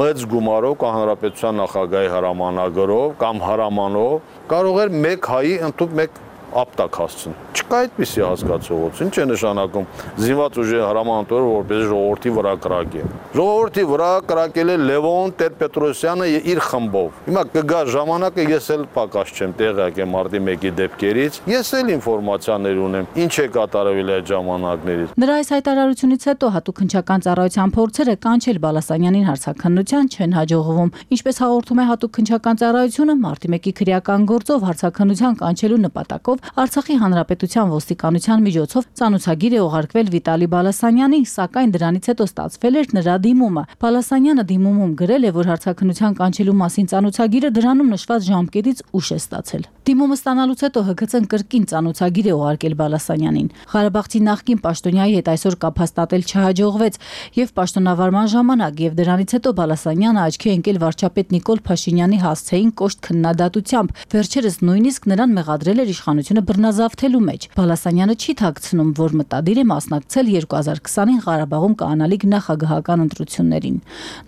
մեծ գումարով կամ հանրապետության նախագահի հրամանագրով կամ հրամանով կարող էր մեկ հայի ընդհանուր մեկ ապտակ հասցնել։ Չկա այդպիսի հասկացողություն։ Ինչ է նշանակում զինված ուժերի հրամանատորը որպես ժողովրդի վրա կրակել։ Ժողովրդի վրա կրակել է Լևոն Տեր-Պետրոսյանը իր խմբով։ Հիմա կգա ժամանակը, ես էլ պակաս չեմ տեղյակ եմ մարտի մեկի դեպքերից, ես էլ ինֆորմացիաներ ունեմ, ինչ է կատարվել այդ ժամանակներից։ Նրա այս հայտարարությունից հետո հատուկ քննչական ծառայության փորձերը կանչել Բալասանյանին հարցաքննության չեն հաջողվում։ Ինչպես հաղորդում է հատուկ քննչական ծառայությունը, մարտի մեկի քրեական գործով հարցաքննության կանչելու նպատակով Արցախի Հանրապետության ոստիկանության միջոցով ծանոթագիր է ուղարկվել Վիտալի Բալասանյանին, սակայն դրանից հետո ստացվել էր նրա դիմումը։ Բալասանյանը դիմումում գրել է, որ հարցաքննության կանչելու մասին ծանոթագիրը դրանում նշված ժամկետից ուշ է ստացել։ Դիմումը ստանալուց հետո Հ Գ Ց-ն կրկին ծանոթագիր է ուղարկել Բալասանյանին։ Ղարաբաղցի նախկին պաշտոնյայի հետ այսօր կապ հաստատել չհաջողվեց եւ պաշտոնավարման ժամանակ եւ դրանից հետո Բալասանյանը աչքի ընկել վարչապետ Նիկոլ Փաշինյանի հասցեին կոշտ քննադատությամբ։ Վերջերս նույնիսկ նրան մեղադրել էր իշխանությունը բռնազավթելու մեջ։ Բալասանյանը չի թաքցնում, որ մտադիր է մասնակցել երկու հազար քսանին Ղարաբաղում կանալիք նախագահական ընտրություններին։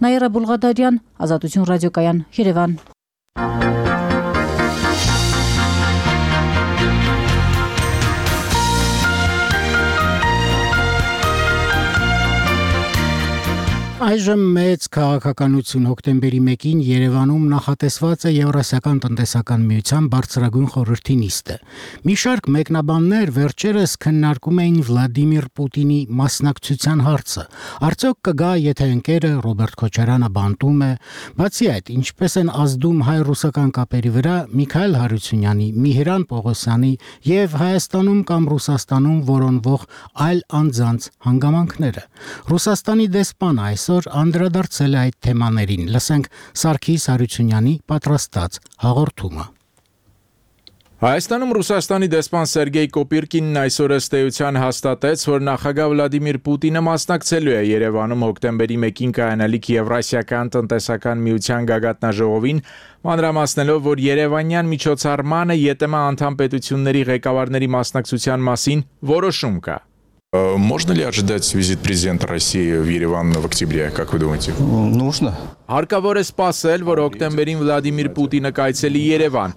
Նաիրա Բուլղադարյան, Ազատություն ռադիոկայան, Երևան։ Այժմ մեծ քաղաքականություն հոկտեմբերի մեկին Երևանում նախատեսված է Եվրասիական տնտեսական միության բարձրագույն խորհրդի նիստը։ Մի շարք մեկնաբաններ վերջերս քննարկում էին Վլադիմիր Պուտինի մասնակցության հարցը։ Արդյոք կգա, եթե ընկերը Ռոբերտ Քոչարյանը բանտում է։ Բացի այդ, ինչպես են ազդում հայ-ռուսական կապերի վրա Միքայել Հարությունյանի, Միհիրան Պողոսյանի եւ Հայաստանում կամ Ռուսաստանում որոնվող այլ անձանց հանգամանքները։ Ռուսաստանի դեսպանը այս անդրադարձել է այդ թեմաներին։ Լսենք Սարգիս Հարությունյանի պատրաստած հաղորդումը։ Հայաստանում Ռուսաստանի դեսպան Սերգեյ Կոպիրկինն այսօր ըստ էության հաստատեց, որ նախագահ Վլադիմիր Պուտինը մասնակցելու է Երևանում հոկտեմբերի մեկին կայանալիք Եվրասիական տնտեսական միության գագաթնաժողովին, մանրամասնելով, որ երևանյան միջոցառմանը ԵՏՄ անդամ պետությունների ղեկավարների մասնակցության մասին որոշում կա։ Можно ли ожидать визит президента России в Ереван в октябре, как вы думаете? Нужно. Հարկավոր է սպասել, որ հոկտեմբերին Վլադիմիր Պուտինը կայցելի Երևան։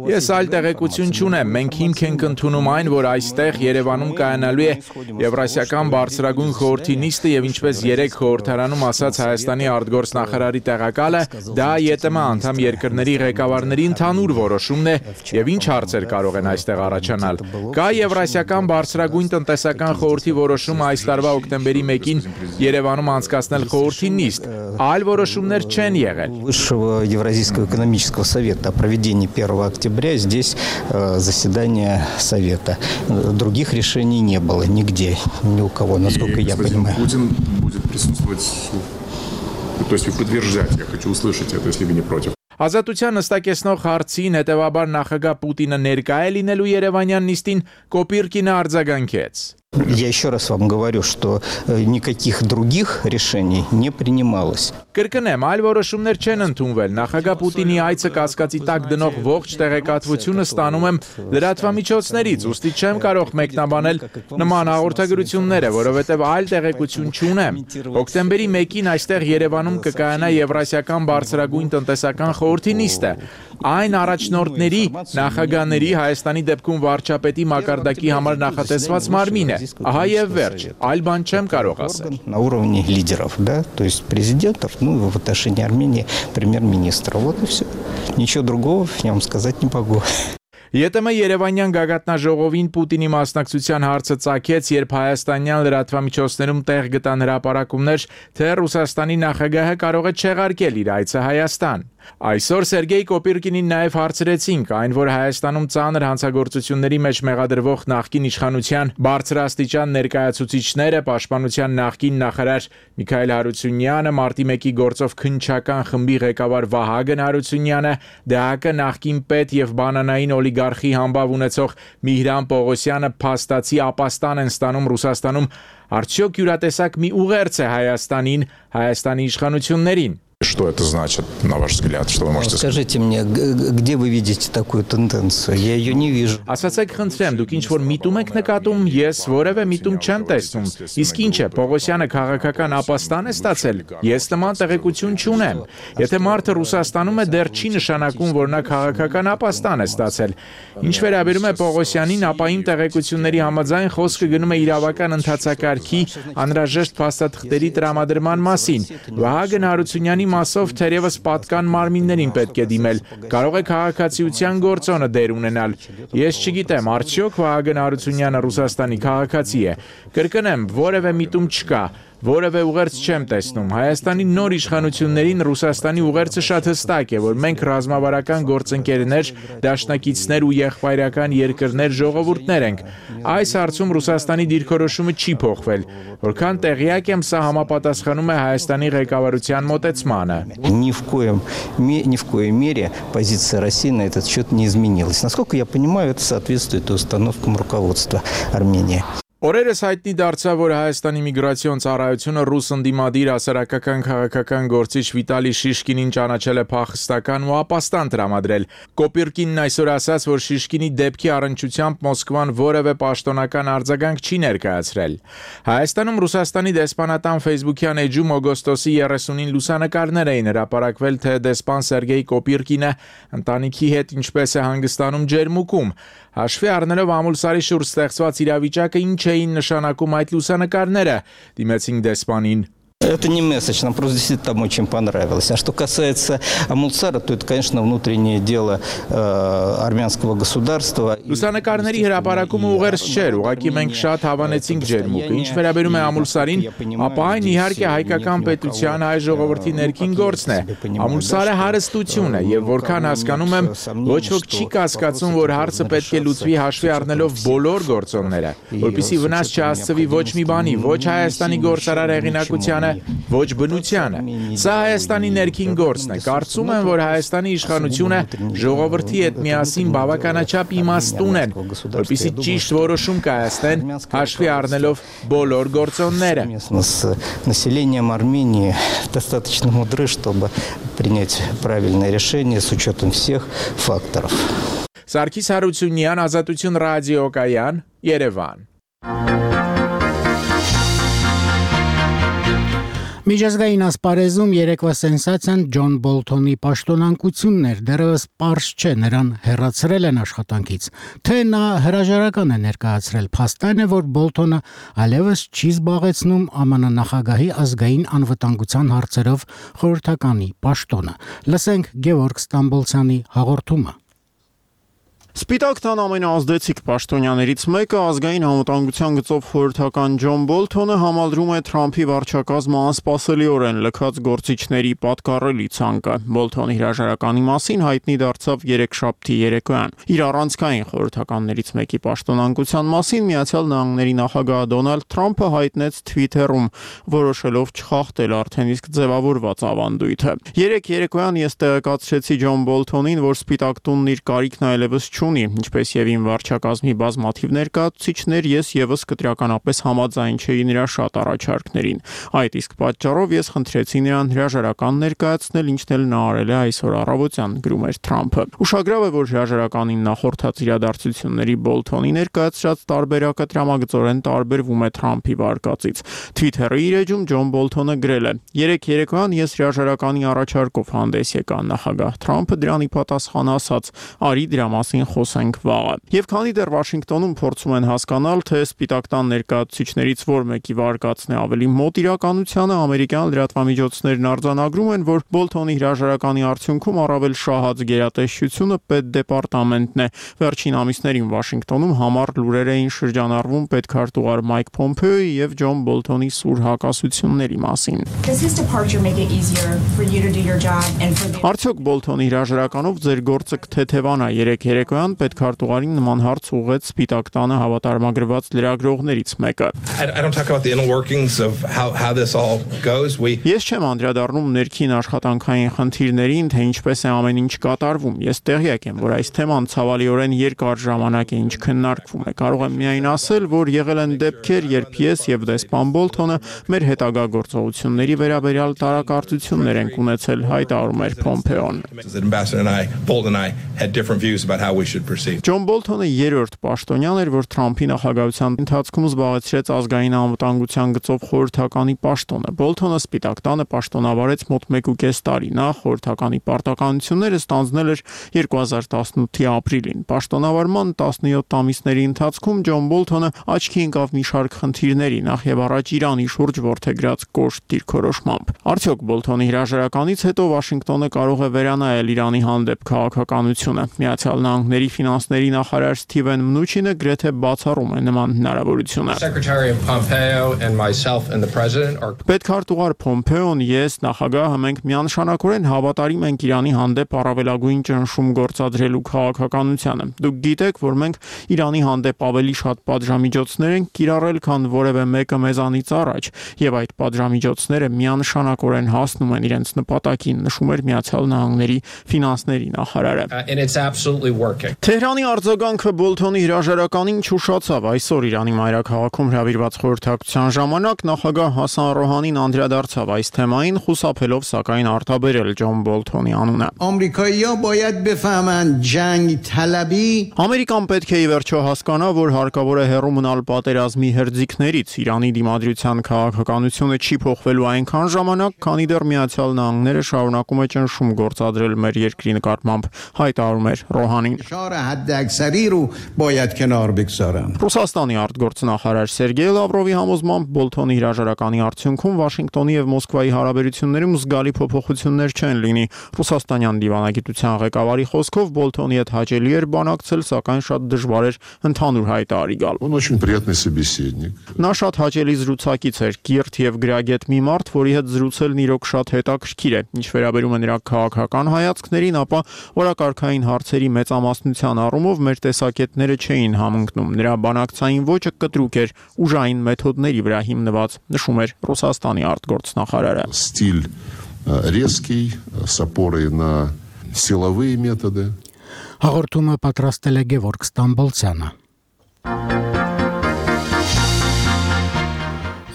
Ես այլ տեղեկություն չունեմ, մենք հիմք ենք ընդունում այն, որ այստեղ Երևանում կայանալու է Եվրասիական բարձրագույն խորհրդի նիստը եւ ինչպես երեք խորհրդարանում ասաց Հայաստանի արտգործնախարարի տեղակալը, դա ԵՏՄ անդամ երկրների ղեկավարների ընդհանուր որոշումն է եւ ինչ հարցեր կարող են այստեղ առաջանալ։ Կա Եվրասիական բարձրագույն տնտեսական խորհրդի որոշումը այս տարվա հոկտեմբերի մեկին Երևանում անցկացնել խորհրդի նիստ, այլ որոշումներ Высшего Евразийского экономического совета о проведении первого октября здесь э, заседание совета. Других решений не было нигде, ни у кого, насколько И, я господин понимаю. Путин будет присутствовать, то есть вы подтверждаете, я хочу услышать это, если вы не против. Ազատության նստակեցնող հարցին հետևաբար նախագահ Պուտինը ներկա է լինելու Երևանյան նիստին, Կոպիրկինը արձագանքեց։ Я еще раз вам говорю, что никаких других решений не принималось. Կրկնեմ, այլ որոշումներ չեն ընդունվել։ Նախագահ Պուտինի այցը կասկածի տակ դնող ողջ տեղեկատվությունը ստանում եմ լրատվամիջոցներից, ուստի չեմ կարող մեկնաբանել նման հաղորդագրությունները, որովհետև այլ տեղեկություն չունեմ։ Հոկտեմբերի մեկին այստեղ Երևանում կկայանա Եվրասիական բարձրագույն տնտեսական խորհրդի նիստը։ այն առաջնորդների, նախագահների, Հայաստանի դեպքում վարչապետի մակարդակի համար նախատեսված մարմին է։ Ահա եւ վերջ, այլ բան չեմ կարող ասել։ На уровне лидеров, да, то есть президентов, ну, в отношении Армении премьер-министра. Вот и все. Ничего другого я вам сказать не могу. ԵՏՄ Երևանյան գագաթնաժողովին Պուտինի մասնակցության հարցը ծագեց, երբ հայաստանյան լրատվամիջոցներում տեղ գտան հրապարակումներ, թե Ռուսաստանի նախագահը կարող է չեղարկել իր այցը Հայաստան։ Այսօր Սերգեյ Կոպիրկինին նաև հարցրեցինք, այն որ Հայաստանում ծանր հանցագործությունների մեջ մեղադրվող նախկին իշխանության բարձրաստիճան ներկայացուցիչները, Պաշտպանության նախկին նախարար Միքայել Հարությունյանը, Մարտի մեկի գործով քննչական խմբի ղեկավար Վահագն Հարությունյանը, ԴՀԿ նախկին պետ եւ բանանային օլիգարխի համբավ ունեցող Միհրան Պողոսյանը փաստացի ապաստան են ստանում Ռուսաստանում, արդյոք յուրատեսակ մի ուղերձ է Հայաստանին, Հայաստանի իշխանություններին։ Что это значит, на ваш взгляд, что вы можете сказать? Скажите мне, где вы видите такую тенденцию? Я ее не вижу. Ասացեք խնդրեմ, դուք ինչ որ միտում եք նկատում, ես որևէ միտում չեմ տեսնում։ Իսկ ինչ է, Պողոսյանը քաղաքական ապաստան է ստացել։ Ես նման տեղեկություն չունեմ։ Եթե մարդը Ռուսաստանում է, դեռ չի նշանակում, որ նա քաղաքական ապաստան է ստացել։ Ինչ վերաբերում է Պողոսյանին, ապա իմ տեղեկությունների համաձայն խոսքը գնում է իրավական ընթացակարգի անհրաժեշտ փաստաթղթերի տրամադրման մասին։ Վահագն Հարությունյանի մասով թերևս պատկան մարմիններին պետք է դիմել, կարող է քաղաքացիության գործոնը դեր ունենալ։ Ես չգիտեմ, արդյոք Վահագն Հարությունյանը Ռուսաստանի քաղաքացի է։ Կրկնեմ, որևէ միտում չկա, որևէ ուղերձ չեմ տեսնում։ Հայաստանի նոր իշխանություններին Ռուսաստանի ուղերձը շատ հստակ է, որ մենք ռազմավարական գործընկերներ, դաշնակիցներ ու եղբայրական երկրներ ժողովուրդներ ենք։ Այս հարցում Ռուսաստանի դիրքորոշումը չի փոխվել։ Որքան տեղյակ եմ, սա համապատասխանում է Հայաստանի ղեկավարության մոտեցմանը։ Ни в коем, ни в коей мере позиция России на этот счет не изменилась. Насколько я понимаю, это соответствует установкам руководства Армении. Օրերս հայտնի դարձավ, որ Հայաստանի միգրացիոն ծառայությունը ռուս ընդդիմադիր հասարակական քաղաքական գործիչ Վիտալի Շիշկինին ճանաչել է փախստական ու ապաստան տրամադրել։ Կոպիրկինն այսօր ասաց, որ Շիշկինի դեպքի առնչությամբ Մոսկվան որևէ պաշտոնական արձագանք չի ներկայացրել։ Հայաստանում Ռուսաստանի դեսպանատան Facebook-յան էջում օգոստոսի երեսունին լուսանկարներ էին հրապարակվել, թե դեսպան Սերգեյ Կոպիրկինը ընտանիքի հետ ինչպես է հանգստանում ջերմուկում։ Հաշվի առնելով ամուլսարի շուրջ ստեղծված իրավիճակը, ինչ էին նշանակում այդ լուսանկարները, դիմեցինք դեսպանին։ Это не месседж, нам просто действительно там очень понравилось. А что касается Амулсара, то это, конечно, внутреннее дело э, армянского государства. Լուսանկարների հրապարակումը ուղերձ չէր, ուղղակի մենք շատ հավանեցինք ջերմուկը։ Ինչ վերաբերում է Ամուլսարին, ապա այն իհարկե հայկական պետության հայ ժողովրդի ներքին գործն է։ Ամուլսարը հարստություն է, եւ որքան հասկանում եմ, ոչ ոք չի կասկածում, որ հարցը պետք է լուծվի հաշվի առնելով բոլոր գործոնները, որպեսզի վնաս չհասցվի ոչ մի բանի, ոչ Հայաստանի գործարար հեղինակությանը, ոչ բնությանը։ Սա Հայաստանի ներքին գործն է։ Կարծում եմ, որ Հայաստանի իշխանությունը ժողովրդի հետ միասին բավականաչափ իմաստուն են, որպեսզի ճիշտ որոշում կայացնեն, հաշվի առնելով բոլոր գործոնները։ С населением Армении достаточно мудры, чтобы принять правильное решение с учетом всех факторов. Սարգիս Հարությունյան, Ազատություն ռադիոկայան, Երևան։ Միջազգային ասպարեզում երեկվա սենսացիան Ջոն Բոլթոնի պաշտոնանկությունն էր, դեռևս պարզ չէ նրան հեռացրել են աշխատանքից, թե նա հրաժարական է ներկայացրել։ Փաստն է, որ Բոլթոնը այլևս չի զբաղեցնում ԱՄՆ նախագահի ազգային անվտանգության հարցերով խորհրդականի պաշտոնը։ Լսենք Գևորգ Ստամբոլցյանի հաղորդումը։ Սպիտակ տան ամենաազդեցիկ պաշտոնյաներից մեկը ազգային անվտանգության գծով խորհրդական Ջոն Բոլթոնը համալրում է Թրամփի վարչակազմը անսպասելիորեն լքած գործիչների պատկառելի ցանկը։ Բոլթոնի հրաժարականի մասին հայտնի դարձավ երեքշաբթի երեկոյան։ Իր առանցքային խորհրդականներից մեկի պաշտոնանկության մասին Միացյալ Նահանգների նախագահ Դոնալդ Թրամփը հայտնեց Twitter-ում, որոշելով չխախտել արդեն իսկ ձևավորված ավանդույթը։ Երեք երեկոյան ես տեղեկացրեցի Ջոն Բոլթոնին, որ Սպիտակ տունն իր կարիքն այլևս չունի, ինչպես եւ իմ վարչակազմի բազմաթիվ ներկայացուցիչներ, ես եւս կտրականապես համաձայն չէի նրա շատ առաջարկներին։ Այդ իսկ պատճառով ես խնդրեցի նրան հրաժարական ներկայացնել, ինչն էլ նա արել է այսօր առավոտյան, գրում էր Թրամփը։ Ուշագրավ է, որ հրաժարականին նախորդած իրադարձությունների Բոլթոնի ներկայացրած տարբերակը տրամագծորեն տարբերվում է Թրամփի վարկածից։ Twitter-ի իր էջում Ջոն Բոլթոնը գրել է. «Երեք երեկոյան ես հրաժարականի առաջարկով հանդես եկա, նախագահ Թրամփը դրանի պատասխան ասաց. «Արի դրա մասին խոսենք վաղը»։ Եվ քանի դեռ Վաշինգտոնում փորձում են հասկանալ, թե Սպիտակ տան ներկայացուցիչներից որ մեկի վարկածն է ավելի մոտ իրականությանը, ամերիկյան լրատվամիջոցներն արձանագրում են, որ Բոլթոնի հրաժարականի արդյունքում առավել շահած գերատեսչությունը պետդեպարտամենտն է։ Վերջին ամիսներին Վաշինգտոնում համառ լուրեր էին շրջանառվում պետքարտուղար Մայք Փոմփեոյի եւ Ջոն Բոլթոնի սուր հակասությունների մասին։ Արդյոք Բոլթոնի հրաժարականով ձեր գործը կթեթևանա? Երեք երեկոյան պետքարտուղարին նման հարց ուղղեց Սպիտակ տանը հավատարմագրված լրագրողներից մեկը։ Ես չեմ անդրադառնում ներքին աշխատանքային խնդիրներին, թե ինչպես է ամեն ինչ կատարվում։ Ես տեղյակ եմ, որ այս թեման ցավալիորեն երկար ժամանակ է ինչ քննարկվում է։ Կարող եմ միայն ասել, որ եղել են դեպքեր, երբ ես եւ դեսպան Բոլթոնը մեր հետագա գործողությունների վերաբերյալ տարակարծություններ ենք ունեցել, հայտարարում էր Փոմփեոն։ Ջոն Բոլթոնը երրորդ պաշտոնյան էր, որ Թրամփի նախագահության ընթացքում զբաղեցրեց ազգային անվտանգության գծով խորհրդականի պաշտոնը։ Բոլթոնը Սպիտակ տանը պաշտոնավարեց մոտ մեկ ու կես տարի։ Նա խորհրդականի պարտականությունները ստանձնել էր երկու հազար տասնութի ապրիլին։ Պաշտոնավարման տասնյոթ ամիսների ընթացքում Ջոն Բոլթոնը աչքի ընկավ մի շարք խնդիրների, նախ եւ առաջ Իրանի շուրջ որդեգրած կոշտ դիրքորոշմամբ։ Արդյոք Բոլթոնի հրաժարականից հետո Վաշինգտոնը կարող է վերանայել Իրանի հանդեպ քաղաքականությունը։ Միացյալ Նահանգների ֆինանսների նախարար Սթիվեն Մնուչինը գրեթե բացառում է նման հնարավորությունը։ Պետքարտուղար Փոմփեոն, ես, նախագահը մենք միանշանակորեն հավատարիմ ենք Իրանի հանդեպ առավելագույն ճնշում գործադրելու քաղաքականությանը։ Դուք գիտեք, որ մենք Իրանի հանդեպ ավելի շատ պատժամիջոցներ ենք կիրառել, քան որևէ մեկը մեզանից առաջ, եւ այդ պատժամիջոցները միանշանակորեն հասնում են իրենց նպատակին, նշում էր Միացյալ Նահանգների ֆինանսների նախարարը։ Թեհրանի արձագանքը Բոլթոնի հրաժարականին չուշացավ։ Այսօր Իրանի մայրաքաղաքում հրավիրված խորհրդակցության ժամանակ նախագահ Հասան Ռոհանին անդրադարձավ այս թեմային, խուսափելով սակայն արտաբերել Ջոն Բոլթոնի անունը։ Ամերիկան պետք է ի վերջո հասկանա, որ հարկավոր է հեռու մնալ պատերազմի հերձիկներից։ Իրանի դիմադրության քաղաքականությունը չի փոխվելու այնքան ժամանակ, քանի դեռ Միացյալ Նահանգները շարունակում է ճնշում գործադրել մեր երկրի նկատմամբ, հայտարարում էր Ռոհանին։ Ռուսաստանի արտգործնախարար Սերգեյ Լավրովի համոզմամբ Բոլթոնի հրաժարականի արդյունքում Վաշինգտոնի եւ Մոսկվայի հարաբերություններում զգալի փոփոխություններ չեն լինի։ Ռուսաստանյան դիվանագիտության ղեկավարի խոսքով Բոլթոնի հետ հաճելի էր բանակցել, սակայն շատ դժվար էր ընդհանուր հայտարարի գալ։ Նա շատ հաճելի զրուցակից էր, կիրթ եւ գրագետ մի մարդ, որի հետ զրուցելն իրոք շատ հետաքրքիր է։ Ինչ վերաբերում է նրա քաղաքական հայացքներին, ապա օրակարգային հարցերի մեծամասնության առումով մեր տեսակետները չէին համընկնում։ Նրա բանակցային ոճը կտրուկ էր, ուժային մեթոդների վրա հիմնված, նշում էր Ռուսաստանի արտգործնախարարը։ Стиль резкий, с опорой на силовые методы. Հաղորդումը պատրաստել է Գևորգ Ստամբոլցյանը։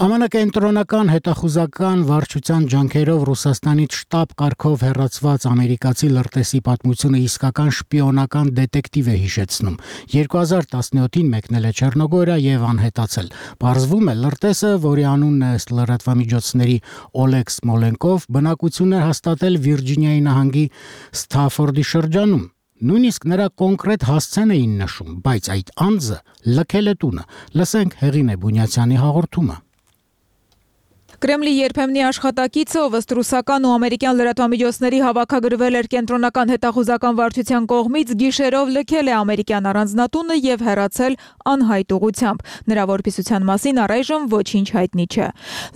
ԱՄՆ կենտրոնական հետախուզական վարչության ջանքերով Ռուսաստանից շտաբ կարգով հեռացված ամերիկացի լրտեսի պատմությունը իսկական շպիոնական դետեկտիվ է հիշեցնում։ երկու հազար տասնյոթին մեկնել է Չեռնոգորիա եւ անհետացել։ Պարզվում է, լրտեսը, որի անունն է ըստ լրատվամիջոցների Օլեգ Սմոլենկով, բնակություն էր հաստատել Վիրջինիայի նահանգի Սթաֆորդի շրջանում։ Նույնիսկ նրա կոնկրետ հասցեն էին նշում, բայց այդ անձը լքել է տունը։ Լսենք Հեղինե Բունյացյանի հաղորդումը։ Կրեմլի երբեմնի աշխատակիցը, ով ըստ ռուսական ու ամերիկյան լրատվամիջոցների հավաքագրվել էր կենտրոնական հետախուզական վարչության կողմից, գիշերով լքել է ամերիկյան առանձնատունը եւ հեռացել անհայտ ուղղությամբ։ Նրա որպիսության մասին առայժմ ոչինչ հայտնի չէ։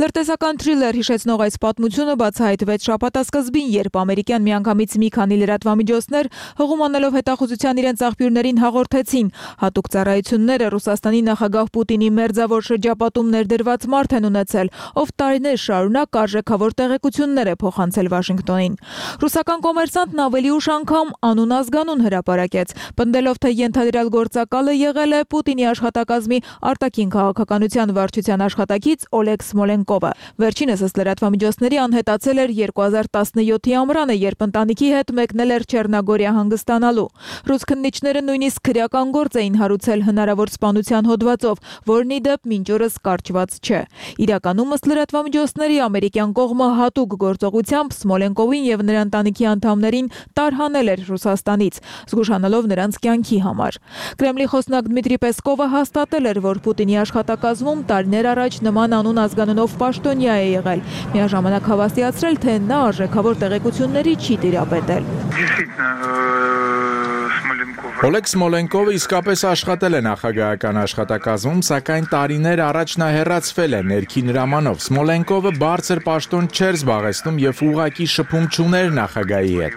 Լրտեսական թրիլեր հիշեցնող այս պատմությունը բացահայտվեց շաբաթասկզբին, երբ ամերիկյան միանգամից մի քանի լրատվամիջոցներ հղում անելով հետախուզության իրենց աղբյուրներին հաղորդեցին. հատուկ ծառայությունները Ռուսաստանի նախագահ Պուտինի մերձավոր շրջապատում ներդրված մարդ են ունեցել, ով տարի տարիներ շարունակ արժեքավոր տեղեկություններ է փոխանցել Վաշինգտոնին։ Ռուսական կոմերսանտն ավելի ուշ անգամ անուն ազգանուն հրապարակեց, պնդելով, թե ենթադրյալ գործակալը եղել է Պուտինի աշխատակազմի արտաքին քաղաքականության վարչության աշխատակից Օլեգ Սմոլենկովը։ Վերջինս ըստ լրատվամիջոցների անհետացել էր երկու հազար տասնյոթի ամռանը, երբ ընտանիքի հետ մեկնել էր Չեռնագորիա հանգստանալու։ Ռուս քննիչները նույնիսկ քրեական գործ էին հարուցել հնարավոր սպանության հոդվածով, որն ի դեպ մինչ օրս կարճված չէ։ Իրականում ըստ լրատվամիջոցների ամերիկյան կողմը հատուկ գործողությամբ Սմոլենկովին եւ նրա ընտանիքի անդամներին տարհանել էր Ռուսաստանից, զգուշանալով նրանց կյանքի համար։ Կրեմլի խոսնակ Դմիտրի Պեսկովը հաստատել էր, որ Պուտինի աշխատակազմում տարիներ առաջ նման անուն ազգանունով պաշտոնյա է եղել, միաժամանակ հավաստիացրել, թե նա արժեքավոր տեղեկությունների չի տիրապետել։ Օլեգ Սմոլենկովը իսկապես աշխատել է նախագահական աշխատակազմում, սակայն տարիներ առաջ նա հեռացվել է ներքին հրամանով։ Սմոլենկովը բարձր պաշտոն չէր զբաղեցնում եւ ուղղակի շփում չուներ նախագահի հետ։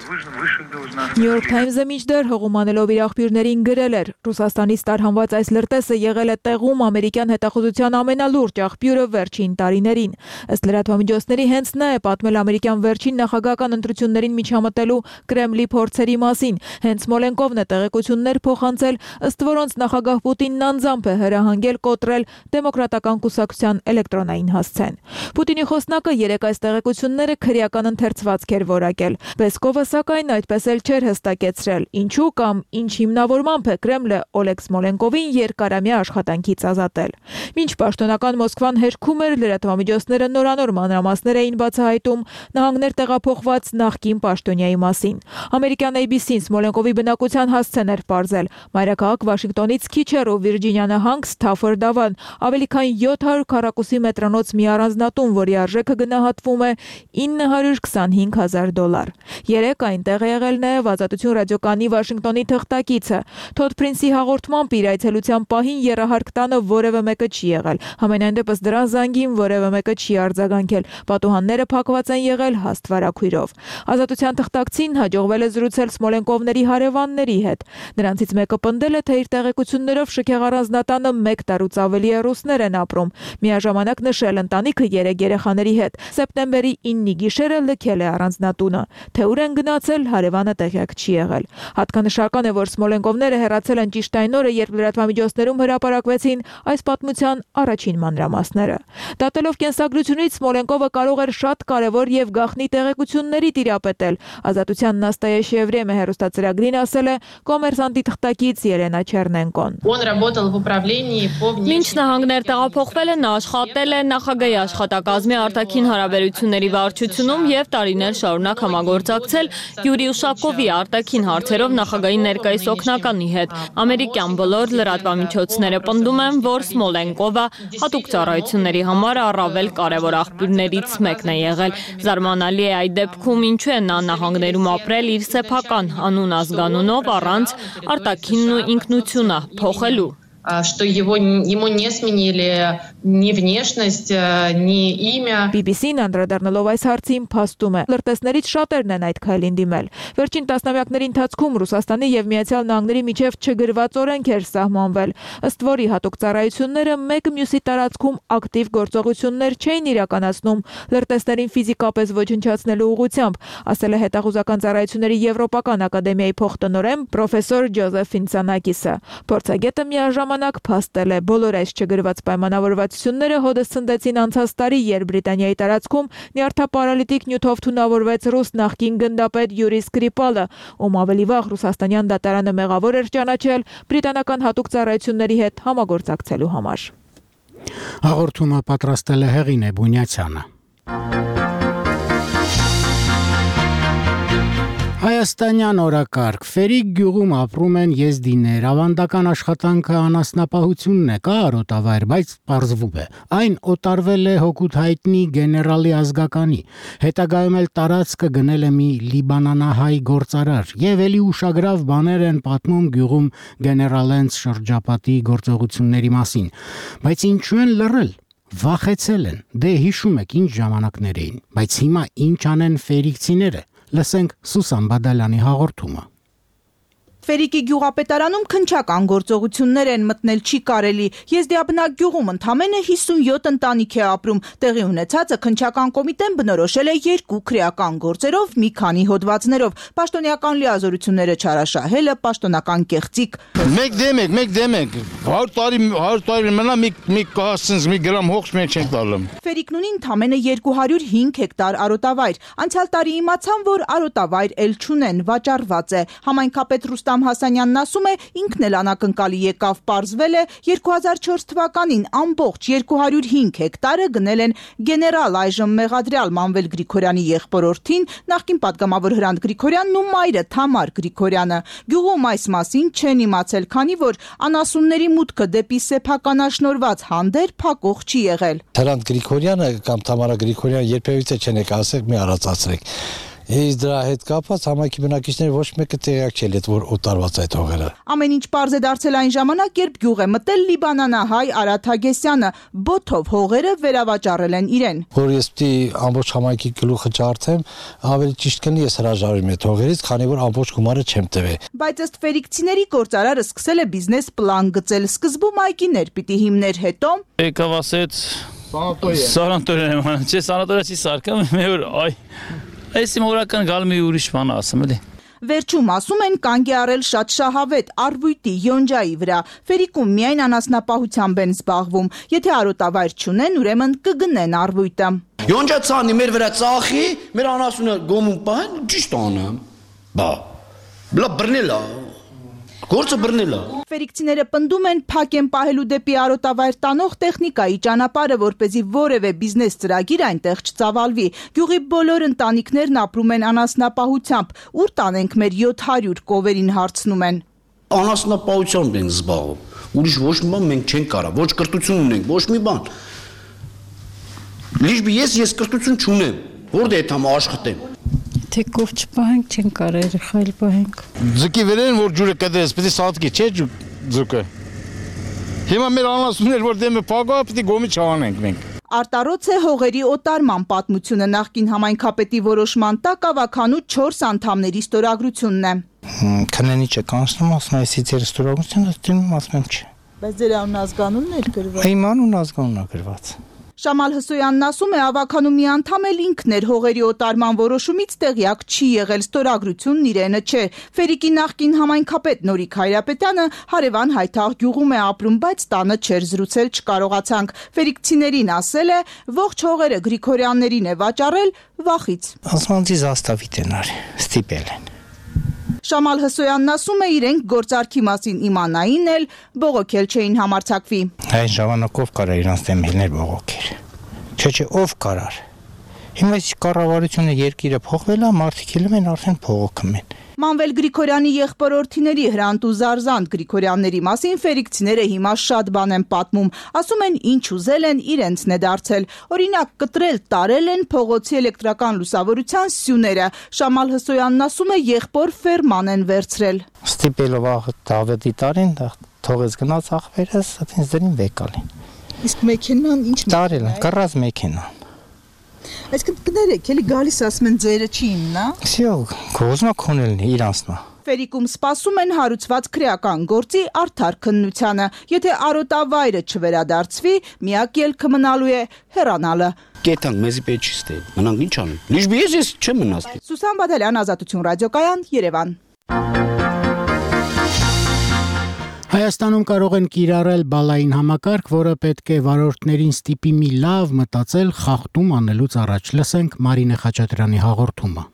New York Times-ը մինչդեռ հողումանելով իր աղբյուրներին գրել էր. Ռուսաստանից տարհանված այս լրտեսը եղել է տեղում ամերիկյան հետախուզության ամենալուրջ աղբյուրը վերջին տարիներին։ Ըստ լրատվամիջոցների հենց նա է պատմել ամերիկյան վերջին նախագահական ընտրություններին միջամտելու Կրեմլի փորձերի մասին։ Հենց Սմոլենկովն է տեղեկություններ փոխանցել, ըստ որոնց նախագահ Պուտինն անձամբ է հրահանգել կոտրել դեմոկրատական կուսակցության էլեկտրոնային հասցեն։ Պուտինի խոսնակը երեք այս տեղեկությունները քրեական ընթերցվածք էր որակել։ Պեսկովը սակայն այդպես էլ չէր հստակեցրել, ինչու կամ ինչ հիմնավորմամբ է Կրեմլը Օլեգ Սմոլենկովին երկարամյա աշխատանքից ազատել։ Մինչ պաշտոնական Մոսկվան հերքում էր, լրատվամիջոցները նորանոր մանրամասներ էին բացահայտում նահանգներ տեղափոխված նախկին պաշտոնյայի մասին։ Ամերիկյան A B C-ն Սմոլենկովի բնակության հասցեն էր պարզել։ Մայրաքաղաք Վաշինգտոնից քիչ հեռու Վիրջինիա նահանգ Սթաֆորդ Ավան, ավելի քան յոթ հարյուր քառակուսի մետրանոց մի առանձնատուն, որի արժեքը գնահատվում է ինը հարյուր քսանհինգ հազար դոլար։ Երեք այնտեղ է եղել նաև Ազատություն ռադիոկայանի Վաշինգտոնի թղթակիցը։ Թոդ Փրինսի հաղորդմամբ իր այցելության պահին եռահարկ տանը որևէ մեկը չի եղել։ Համենայն դեպս դրան զանգին որևէ մեկը չի արձագանքել։ Պատուհանները փակված են եղել հաստ վարագույրով։ Ազատության թղթակցին հաջողվել է զրուցել Սմոլենկովների հարևանների հետ։ Նրանցից մեկը պնդել է, թե իր տեղեկություններով շքեղ առանձնատանը մեկ տարուց ավելի է ռուսներ են ապրում։ Միաժամանակ նշել ընտանիքը երեք երեխաների հետ սեպտեմբերի ինը գիշերը լքել է առանձնատունը։ Թե ուր են գնացել, հարևանը տեղյակ չի եղել։ Հատկանշական է, որ Սմոլենկովները հեռացել են ճիշտ այն օրը, երբ լրատվամիջոցներում հրապարակվեցին այս պատմության առաջին մանրամասները։ Դատելով կենսագրությունից Սմոլենկովը կարող էր շատ կարևոր եւ գաղտնի տեղեկությունների տիրապետել։ Ազատության Նաստայա Եվրեմը հեռուստացրագրին ասել է կոմերսանտի թղթակից Ելենա Չեռնենկոն։ Մինչ նահանգներ տեղափոխվել է, նա աշխատել է նախագահի աշխատակազմի արտաքին հարաբերությունների վարչությունում եւ տարիներ շարունակ համագործակցել Յուրի Ուշակովի արտաքին հարցերով նախագահի ներկայիս օգնականի հետ։ Ամերիկյան բոլոր լրատվամիջոցները պնդում են, որ Սմոլենկովը հատուկ ծառայությունների համար առավել կարևոր աղբյուրներից մեկն է եղել։ Զարմանալի է այդ դեպքում ինչու է նա նահանգներում ապրել իր սեփական անուն ազգանունով առանց արտաքինն ու ինքնությունը փոխելու։ Что его, ему не сменили ни внешность, ни имя. B B C-ն անդրադառնալով այս հարցին փաստում է. լրտեսներից շատերն են այդ քայլին դիմել։ Վերջին տասնամյակների ընթացքում Ռուսաստանի եւ Միացյալ Նահանգների միջև չգրված օրենք էր սահմանվել, ըստ որի հատուկ ծառայությունները մեկը մյուսի տարածքում ակտիվ գործողություններ չէին իրականացնում լրտեսներին ֆիզիկապես ոչնչացնելու ուղղությամբ, ասել է հետախուզական ծառայությունների Եվրոպական ակադեմիայի փոխտնօրեն պրոֆեսոր Ջոզեֆ Ֆինցանակիսը։ Փորձագետը միաժամանակ փաստել է բոլոր այս չգրված պայմանավորվածությունները հոդս ցնդեցին անցած տարի, երբ Բրիտանիայի տարածքում նյարդապարալիտիկ նյութով թունավորվեց ռուս նախկին գնդապետ Յուրի Սկրիպալը, ում ավելի վաղ ռուսաստանյան դատարանը մեղավոր էր ճանաչել բրիտանական հատուկ ծառայությունների հետ համագործակցելու համար։ Հաղորդումը պատրաստել է Հեղինե Բունյացյանը։ Հայաստանյան օրակարգ Ֆերիկ գյուղում ապրում են եզդիներ, ավանդական աշխատանքը անասնապահությունն է, կա արոտավայր, բայց պարզվում է, այն օտարվել է հօգուտ հայտնի գեներալի ազգականի, հետագայում էլ տարածքը գնել է մի լիբանանահայ գործարար, եւ էլի ուշագրավ բաներ են պատմում գյուղում գեներալենց շրջապատի գործողությունների մասին, բայց ինչու են լռել, վախեցել են, դե հիշում եք ինչ ժամանակներ էին, բայց հիմա ինչ անեն ֆերիկցիները, լսենք Սուսան Բադալյանի հաղորդումը։ Ֆերիկի գյուղապետարանում քննչական գործողություններ են, մտնել չի կարելի։ Եզդիաբնակ գյուղում ընդամենը հիսունյոթ ընտանիք է ապրում։ Տեղի ունեցածը քննչական կոմիտեն բնորոշել է երկու քրեական գործերով, մի քանի հոդվածներով։ Պաշտոնյական լիազորությունները չարաշահելը, պաշտոնական կեղծիք։ Մեկ դեմ եք, մեկ դեմ եք։ հարյուր տարի, հարյուր տարի մնա մի մի կահասնց մի գրամ հողջ մենք չենք տալում։ Ֆերիկն ունի ընդամենը երկու հարյուր հինգ հեկտար արոտավայր։ Անցյալ տարի իմացան, որ արոտավայր էլ չունեն, վաճառված է։ Համայնքապետ Ռուստամ Հասանյանն ասում է, ինքն էլ անակնկալի եկավ, պարզվել է երկու հազար չորս թվականին ամբողջ երկու հարյուր հինգ հեկտարը գնել են գեներալ այժմ մեղադրյալ Մանվել Գրիգորյանի եղբորորդին, նախկին падգամավոր Հրանտ Գրիգորյանն ու մայրը Թամար Գրիգորյանը։ Գյուղում այս մասին չեն իմացել, քանի որ անասունների մուտքը դեպի սեփականաշնորհված հանդեր փակող չի եղել։ Հրանտ Գրիգորյանը կամ Թամարա Գրիգորյանը երբևիցե չեն եկել, ասեք մի առածացրեք։ Ես դրա հետ կապված համայնքի բնակիչները ոչ մեկը տեղյակ չէ, որ օտարված այդ հողերը։ Ամեն ինչ պարզ է դարձել այն ժամանակ, երբ գյուղ է մտել լիբանանահայ Արադ Հագեսյանը, բոթով հողերը վերավաճառել են իրեն։ Որ ես պիտի ամբողջ համայնքի գլուխը ջարդեմ, ավելի ճիշտ կլինի ես հրաժարվեմ այդ հողերից, քանի որ ամբողջ գումարը չեմ տվել։ Բայց ըստ ֆերիկցիների գործարարը սկսել է բիզնես պլան գծել, սկզբում այգիներ պիտի հիմներ, հետո եկավ ասեց սանատորիա, չէ, սանատորիա չի սարքam, մեր այ Այս մորական գալ մի ուրիշ բան ասեմ էլի։ Վերջում ասում են կանգ է առել շատ շահավետ արվույտի յոնջայի վրա։ Ֆերիկում միայն անասնապահությամբ են զբաղվում։ Եթե արոտավայր չունեն, ուրեմն կգնեն արվույտը։ Յոնջա ցանի մեր վրա ծախի, մեր անասունը գոմում պահեն, ճիշտ անեմ։ Բա։ Բլա բռնելա։ Գործը բռնելա։ Ֆերիկցիները պնդում են փակ են պահելու դեպի արոտավայր տանող տեխնիկայի ճանապարհը, որպեսզի որևէ բիզնես ծրագիր այնտեղ չծավալվի։ Գյուղի բոլոր ընտանիքներն ապրում են անասնապահությամբ։ Ուր տանենք մեր յոթ հարյուր կովերին հարցնում են։ Անասնապահությամբ ենք զբաղվում։ Ուրիշ ոչ մի բան մենք չենք կարա, ոչ կրթություն ունենք, ոչ մի բան։ Լիժբի ես ես կրթություն չունեմ։ Որտե՞ղ է թամ աշխատեմ։ Թե կով չպահենք, չեն կարա երեխա էլ պահենք։ Ձուկի վերեն, որ ջուրը կդես, պիտի սատկի, չէ ձուկը։ Հիմա մեր անասուններ, որ դեմը փագա, պիտի գոմի չանենք մենք։ Արտարոց է հողերի օտարման պատմությունը նախկին համայնքապետի որոշման տակ ավականու չորս անդամների ստորագրությունն է։ Քննի չէ կանցնում, ասում է, այսի ձեր ստորագրությունը դիմում, ասում եմ չէ։ Բայց ձեր անուն ազգանունն է գրված։ Իմ անուն ազգանունն է գրված։ Շամալ Հսոյանն ասում է, ավականու մի անդամ էլ ինքն էր հողերի օտարման որոշումից տեղյակ չի եղել, ստորագրությունն իրենը չէ։ Ֆերիկի նախկին համայնքապետ Նորիկ Հայրապետյանը հարևան Հայթաղ գյուղում է ապրում, բայց տանը չէր զրուցել, չկարողացանք։ Ֆերիկցիներին ասել է, ողջ հողերը Գրիգորյաններին է վաճառել վախից։ Ասմանցի զաստավիտ են արի, ստիպել են։ Շամալ Հսոյանն ասում է, իրենք գործարքի մասին իմանային էլ, բողոքել չէին համարձակվի։ Այն ժամանակով կարա իրանց դեմ հելներ բողոքեր։ Չէ, չէ, ով կարար։ Հիմա այս կառավարությունը երկիրը փոխվել է, մարդիկ ելում են արդեն փողոքում են։ Մանվել Գրիգորյանի եղբորորդիների Հրանտ ու Զարզանտ Գրիգորյանների մասին ֆերիկցիները հիմա շատ բան են պատմում, ասում են ինչ ուզել են իրենցն է դարձել։ Օրինակ կտրել, տարել են փողոցի էլեկտրական լուսավորության սյուները։ Շամալ Հսոյանն ասում է, եղբոր ֆերման են վերցրել։ Ստիպելով Դավիթի տարին թողեց գնաց ախվերս, այդպես դրին վեկալին։ Իսկ մեքենան ինչ տարել են, կռած մեքենան։ Այսինքն կներեք, էլի գալիս ասում են ձերը չի իմնա։ Всё, կոզմա քոնելն է իրանցնա։ Ֆերիկում սպասում են հարուցված քրեական գործի արդար քննությանը։ Եթե արոտավայրը չվերադարձվի, միակ ելքը մնալու է հեռանալը։ Կետան մեզի պետք չի ստել։ Մնանք ինչ անենք։ Լիժբի ես ես չեմ մնաց։ Սուսան Բադալյան, Ազատություն ռադիոկայան, Երևան։ Հայաստանում կարող են կիրառել բալային համակարգ, որը պետք է վարորդներին ստիպի մի լավ մտածել խախտում անելուց առաջ։ Լսենք Մարինե Խաչատրյանի հաղորդումը։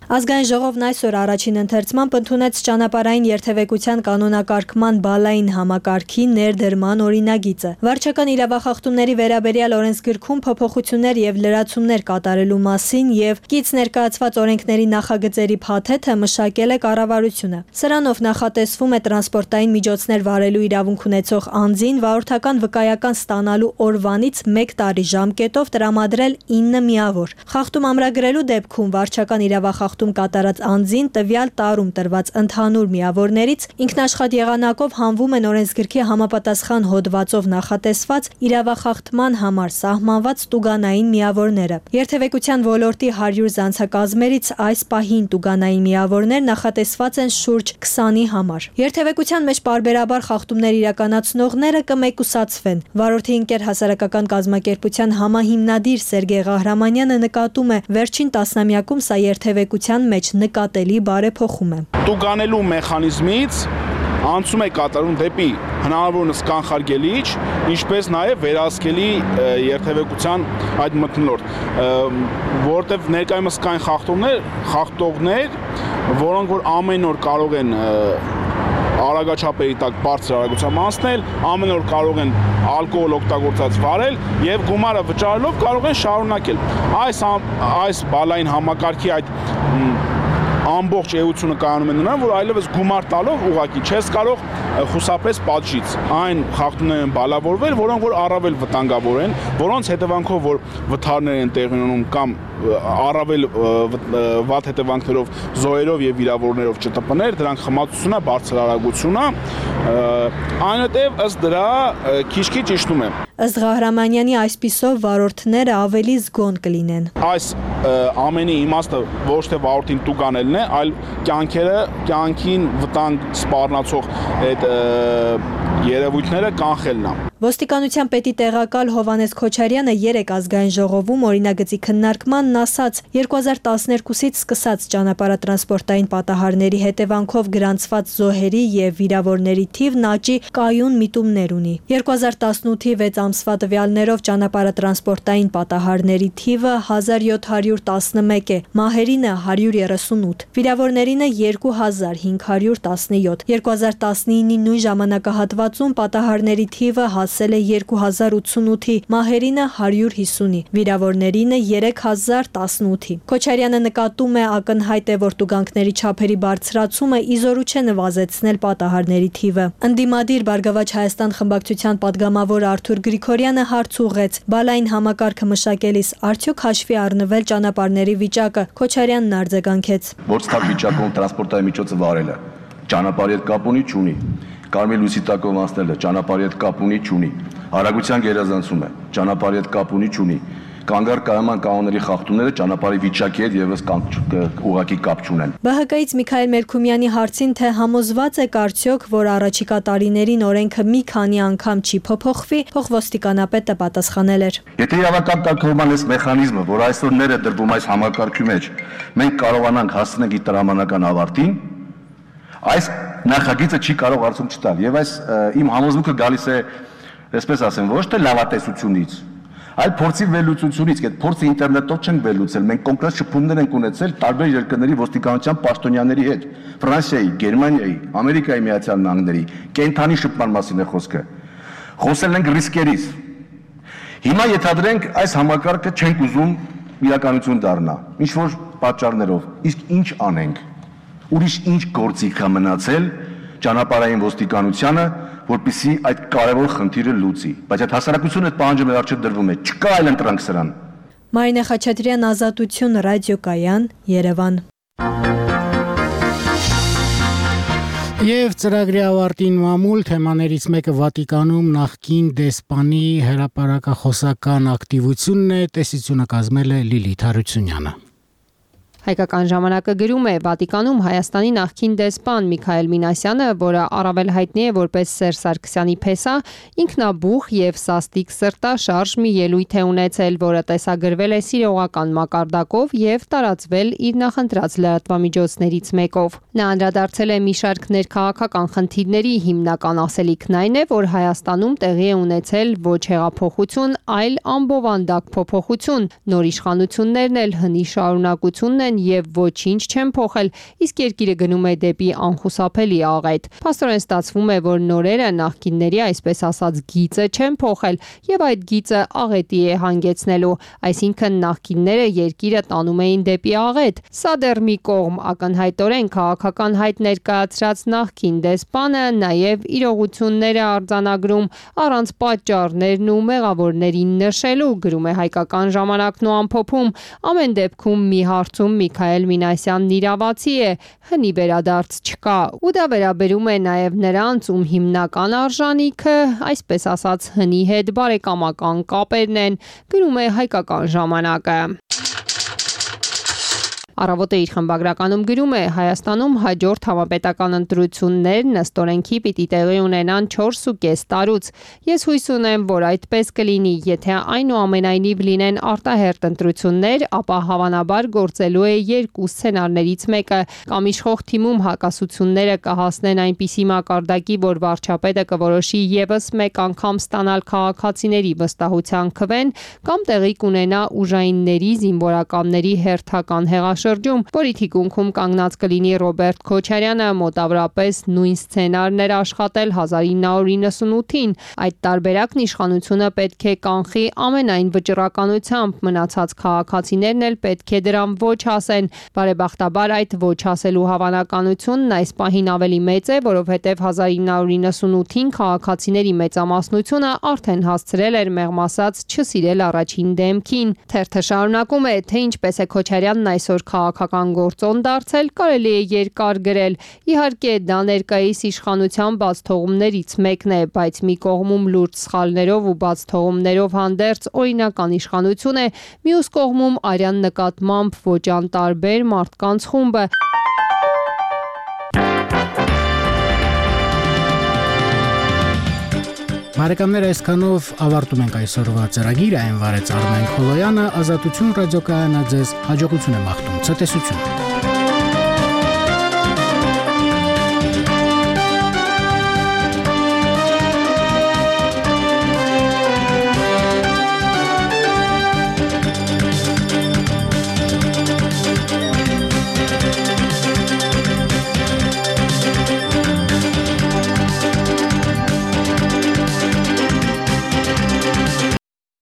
Ազգային ժողովն այսօր առաջին ընթերցմամբ ընդունեց ճանապարհային երթևեկության կանոնակարգման բալային համակարգի ներդրման օրինագիծը։ Վարչական իրավախախտումների վերաբերյալ օրենսգրքում փոփոխություններ եւ լրացումներ կատարելու մասին եւ կից ներկայացված օրենքների նախագծերի փաթեթը մշակել է կառավարությունը։ Սրանով նախատեսվում է տրանսպորտային միջոցներ վարելու իրավունք ունեցող անձին վարորդական վկայական ստանալու օրվանից մեկ տարի ժամկետով տրամադրել ինը միավոր։ Խախտում ամրագրելու դեպքում վարչական իրավախախտում խախտում կատարած անձին տվյալ տարում տրված ընդհանուր միավորներից ինքնաշխատ եղանակով հանվում են օրենսգրքի համապատասխան հոդվածով նախատեսված իրավախախտման համար սահմանված տուգանային միավորները։ Երթևեկության ոլորտի հարյուր զանցակազմերից այս պահին տուգանային միավորներ նախատեսված են շուրջ քսանի համար։ Երթևեկության մեջ պարբերաբար խախտումներ իրականացնողները կմեկուսացվեն։ Վարորդի ընկեր հասարակական կազմակերպության համահիմնադիր Սերգեյ Ղահրամանյանը նկատում է, վերջին տասնամյակում սա երթևեկության մեջ նկատելի բարեփոխում է։ Տուգանելու մեխանիզմից անցում է կատարում դեպի հնարավորինս կանխարգելիչ, ինչպես նաև վերահսկելի երթևեկության այդ մթնոլորտ, որտեղ ներկայումս կային խախտումներ, խախտողներ, որոնք որ ամեն օր կարող են արագաչափերի տակ բարձր արագությամբ անցնել, ամեն օր կարող են ալկոհոլ օգտագործած վարել եւ գումարը վճարելով կարող են շարունակել։ Այս այս բալային համակարգի այդ ամբողջ էությունը կայանում է նրան, որ այլևս գումար տալով ուղակի չես կարող խուսափես պատժից։ Այն խախտումներ են բալավորվել, որոնք որ առավել վտանգավոր են, որոնց հետևանքով որ վթարներ են տեղի ունենում կամ առավել վատ հետևանքներով զոհերով եւ վիրավորներով ՃՏՊ-ներ, դրանք խմացությունը, բարձր արագությունը, այնուհետև ըստ դրա քիչ-քիչ իջնում է։ Ըստ Ղահրամանյանի այսպիսով վարորդները ավելի զգոն կլինեն։ Այս ամենի իմաստը ոչ թե վարորդին տուգանելն է, այլ կյանքերը, կյանքին վտանգ սպառնացող այդ երևույթները կանխելն է։ Ոստիկանության պետի տեղակալ Հովհաննես Քոչարյանը երեկ ազգային ժողովում օրինագծի քննարկմանն ասաց, երկու հազար տասներկուսից սկսած ճանապարհատրանսպորտային պատահարների հետևանքով գրանցված զոհերի եւ վիրավորների թիվն աճի կայուն միտումներ ունի։ երկու հազար տասնութի վեց ամսվա տվյալներով ճանապարհատրանսպորտային պատահարների թիվը հազար յոթ հարյուր տասնմեկ է, մահերինը հարյուր երեսունութ, վիրավորներինը երկու հազար հինգ հարյուր տասնյոթ։ երկու հազար տասնինի նույն ժամանակահատվածում պատահարների թիվը հասել է երկու հազար ութսունութի, մահերինը հարյուր հիսունի, վիրավորներինը երեք հազար տասնութի։ Քոչարյանը նկատում է ակնհայտ է, որ տուգանքների չափերի բարձրացումը իզորու չէ նվազեցնել պատահարների թիվը։ Ընդդիմադիր Բարգավաճ Հայաստան խմբակցության падգամավոր Արթուր Գրիգորյանը հարց ուղղեց. բալային համակարգը մշակելիս արդյոք հաշվի առնվել ճանապարհների վիճակը։ Քոչարյանն արձագանքեց. Ոչ ցավ վիճակում տրանսպորտային միջոցը վարելը ճանապարհի հետ կապ ունի, չունի։ Կարմիր լույսի տակով անցնելը ճանապարհի հետ կապ ունի, չունի։ Արագության գերազանցումը ճանապարհի հետ կապ ունի, չունի։ Կանգար կայման կանոնների խախտումները ճանապարհի վիճակի հետ եւս ուղղակի կապ չունեն։ Բ Հ Կ-ից Միքայել Մերքումյանի հարցին, թե համոզված եք արդյոք, որ առաջիկա տարիներին օրենքը մի քանի անգամ չի փոփոխվի, փոխոստիկանապետը պատասխանել էր. Եթե իրավական կարգավորման այս մեխանիզմը, որ այսօր ներ է դրվում այս համակարգի մեջ, մենք կարողանանք հասնել իր տրամանական ավարտին, այս նախագիծը չի կարող արդյոք չտալ եւ այս իմ համոզմունքը գալիս է, այսպես ասեմ, ոչ թե լավատեսությունից, այլ փորձի վերլուծությունից, այդ փորձը ինտերնետով չեն վերլուծել, մենք կոնկրետ շփումներ ենք ունեցել տարբեր երկրների ոստիկանության պաշտոնյաների հետ, Ֆրանսիայի, Գերմանիայի, Ամերիկայի Միացյալ Նահանգների, կենթանի շփման մասին է խոսքը։ Խոսել ենք ռիսկերից։ Հիմա ենթադրենք այս համակարգը չենք ուզում իրականություն դառնա, ինչ որ պատճառներով, իսկ ինչ անենք։ Ուրիշ ինչ գործիք կա մնացել ճանապարհային ոստիկանությանը, որպեսզի այդ կարևոր խնդիրը լուծի։ Բայց այդ հասարակությունը այդ պահանջը մեր առջև դրվում է, չկա այլ ընտրանք սրան։ Մարինե Խաչատրյան, Ազատություն, ռադիոկայան, Երևան։ Եվ ծրագրի ավարտին մամուլ թեմաներից մեկը Վատիկանում նախկին դեսպանի հրապարակախոսական ակտիվությունն է, տեսությունը կազմել է Լիլիթ Հարությունյանը։ Հայկական ժամանակը գրում է Վատիկանում Հայաստանի նախկին դեսպան Միքայել Մինասյանը, որը առավել հայտնի է որպես Սերժ Սարգսյանի փեսա, ինքնաբուխ եւ սաստիկ սրտաշարժ մի ելույթ է ունեցել, որը տեսագրվել է սիրողական մակարդակով եւ տարածվել իր նախընտրած լրատվամիջոցներից մեկով։ Նա անդրադարձել է մի շարք ներքաղաքական խնդիրների, հիմնական ասելիքն այն է, որ Հայաստանում տեղի է ունեցել ոչ հեղափոխություն, այլ ամբովանդակ փոփոխություն, նոր իշխանություններն էլ հնի շարունակությունն են եւ ոչինչ չեն փոխել, իսկ երկիրը գնում է դեպի անխուսափելի աղետ։ Փաստորեն ստացվում է, որ նորերը նախկինների այսպես ասած գիծը չեն փոխել եւ այդ գիծը աղետի է հանգեցնելու, այսինքն նախկինները երկիրը տանում էին դեպի աղետ։ Սա դեռ մի կողմ, ակնհայտորեն քաղաքական հայտ ներկայացրած նախկին դեսպանը նաեւ իրողությունները արձանագրում առանց պատճառներն ու մեղավորներին նշելու, գրում է Հայկական ժամանակն ու ամփոփում։ Ամեն դեպքում մի հարցում Միքայել Մինասյանն իրավացի է, հնի վերադարձ չկա, ու դա վերաբերում է նաև նրանց, ում հիմնական արժանիքը, այսպես ասած, հնի հետ բարեկամական կապերն են, գրում է Հայկական ժամանակը։ Առավոտը իր խմբագրականում գրում է. Հայաստանում հաջորդ համապետական ընտրություններ նստորենքի պիտի տեղի ունենան չորսուկես տարուց։ Ես հույս ունեմ, որ այդպես կլինի, եթե այնուամենայնիվ լինեն արտահերթ ընտրություններ, ապա հավանաբար գործելու է երկու սցենարներից մեկը, կամ իշխող թիմում հակասությունները կհասնեն այնպիսի մակարդակի, որ վարչապետը կորոշի եւս մեկ անգամ ստանալ քաղաքացիների վստահության քվեն, կամ տեղի կունենա ուժայինների զինվորականների հերթական հեղաշրջում, որի թիկունքում կանգնած կլինի Ռոբերտ Քոչարյանը, մոտավորապես նույն սցենարն էր աշխատել հազար ինը հարյուր իննսունութին։ Այդ տարբերակն իշխանությունը պետք է կանխի ամենայն վճռականությամբ, մնացած քաղաքացիներն էլ պետք է դրան ոչ ասեն։ Բարեբախտաբար այդ ոչ ասելու հավանականությունն այս պահին ավելի մեծ է, որովհետև հազար ինը հարյուր իննսունութին քաղաքացիների մեծամասնությունը արդեն հասցրել էր մեղմ ասած չսիրել առաջին դեմքին։ Թերթը շարունակում է, թե ինչպես է Քոչարյանն այսօր քաղաքական գործոն դարձել, կարելի է երկար գրել։ Իհարկե, դա ներկայիս իշխանության բացթողումներից մեկն է, բայց մի կողմում լուրջ սխալներով ու բացթողումներով հանդերձ օրինական իշխանություն է, մյուս կողմում արյան նկատմամբ ոչ անտարբեր մարդկանց խումբը։ Բարեկամներ, այսքանով ավարտում ենք այսօրվա ծրագիրը, այն վարեց Արմեն Խոլոյանը, Ազատություն ռադիոկայանը ձեզ հաջողություն է մաղթում, ցտեսություն։